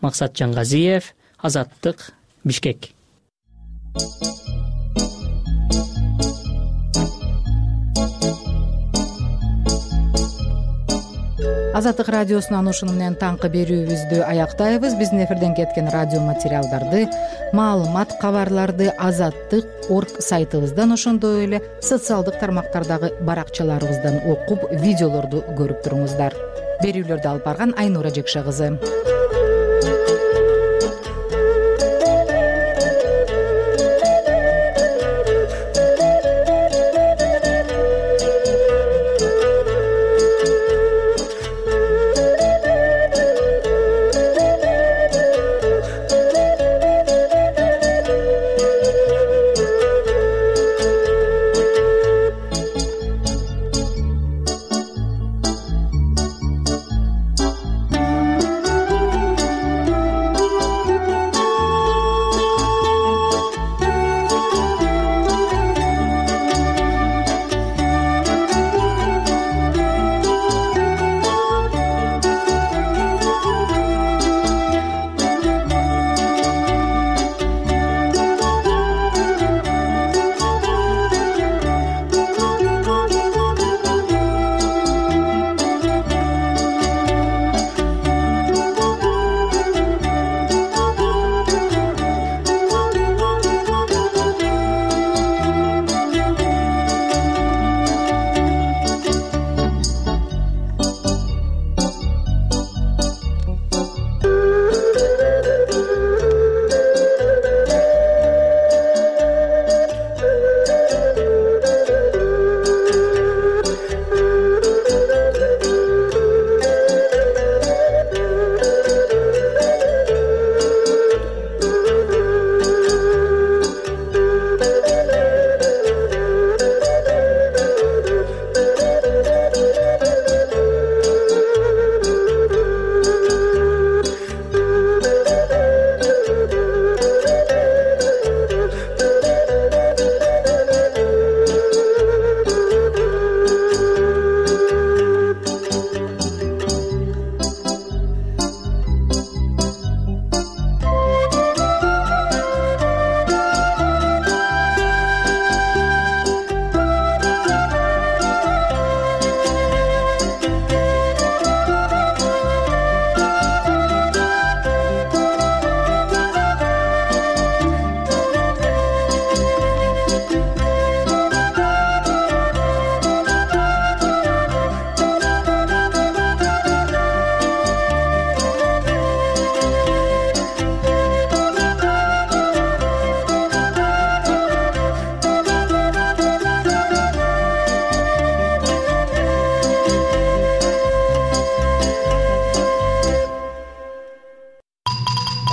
Максат Жаңгазиев, Азаттык, Бишкек. Азаттык радиосунан ушуну менен таңкы берүүбүздү аяктайбыз. Биздин эфирден кеткен радио материалдарды, маалымат, кабарларды azattyk.org сайтыбыздан, ошондой эле социалдык тармактардагы баракчаларыбыздан окуп, видеолорду көрүп туруңуздар. Берүүлөрдү алып барган Айнура Жекше кызы.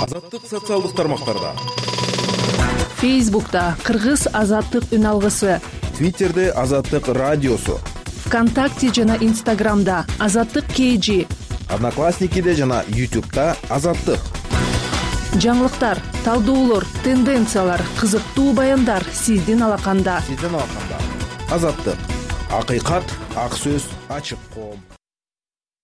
Азаттык социалдык тармактарда. Фейсбукта Кыргыз азаттык үн алгысы, Твиттерде Азаттык радиосу, ВКонтакте жана Инстаграмда Азаттык KG, Одноклассникиде жана YouTube'да Азаттык. Жаңылыктар, талдоолор, тенденциялар, кызыктуу баяндар сиздин алаканда. Азаттык. Акыйкат, ак сөз, ачык коом.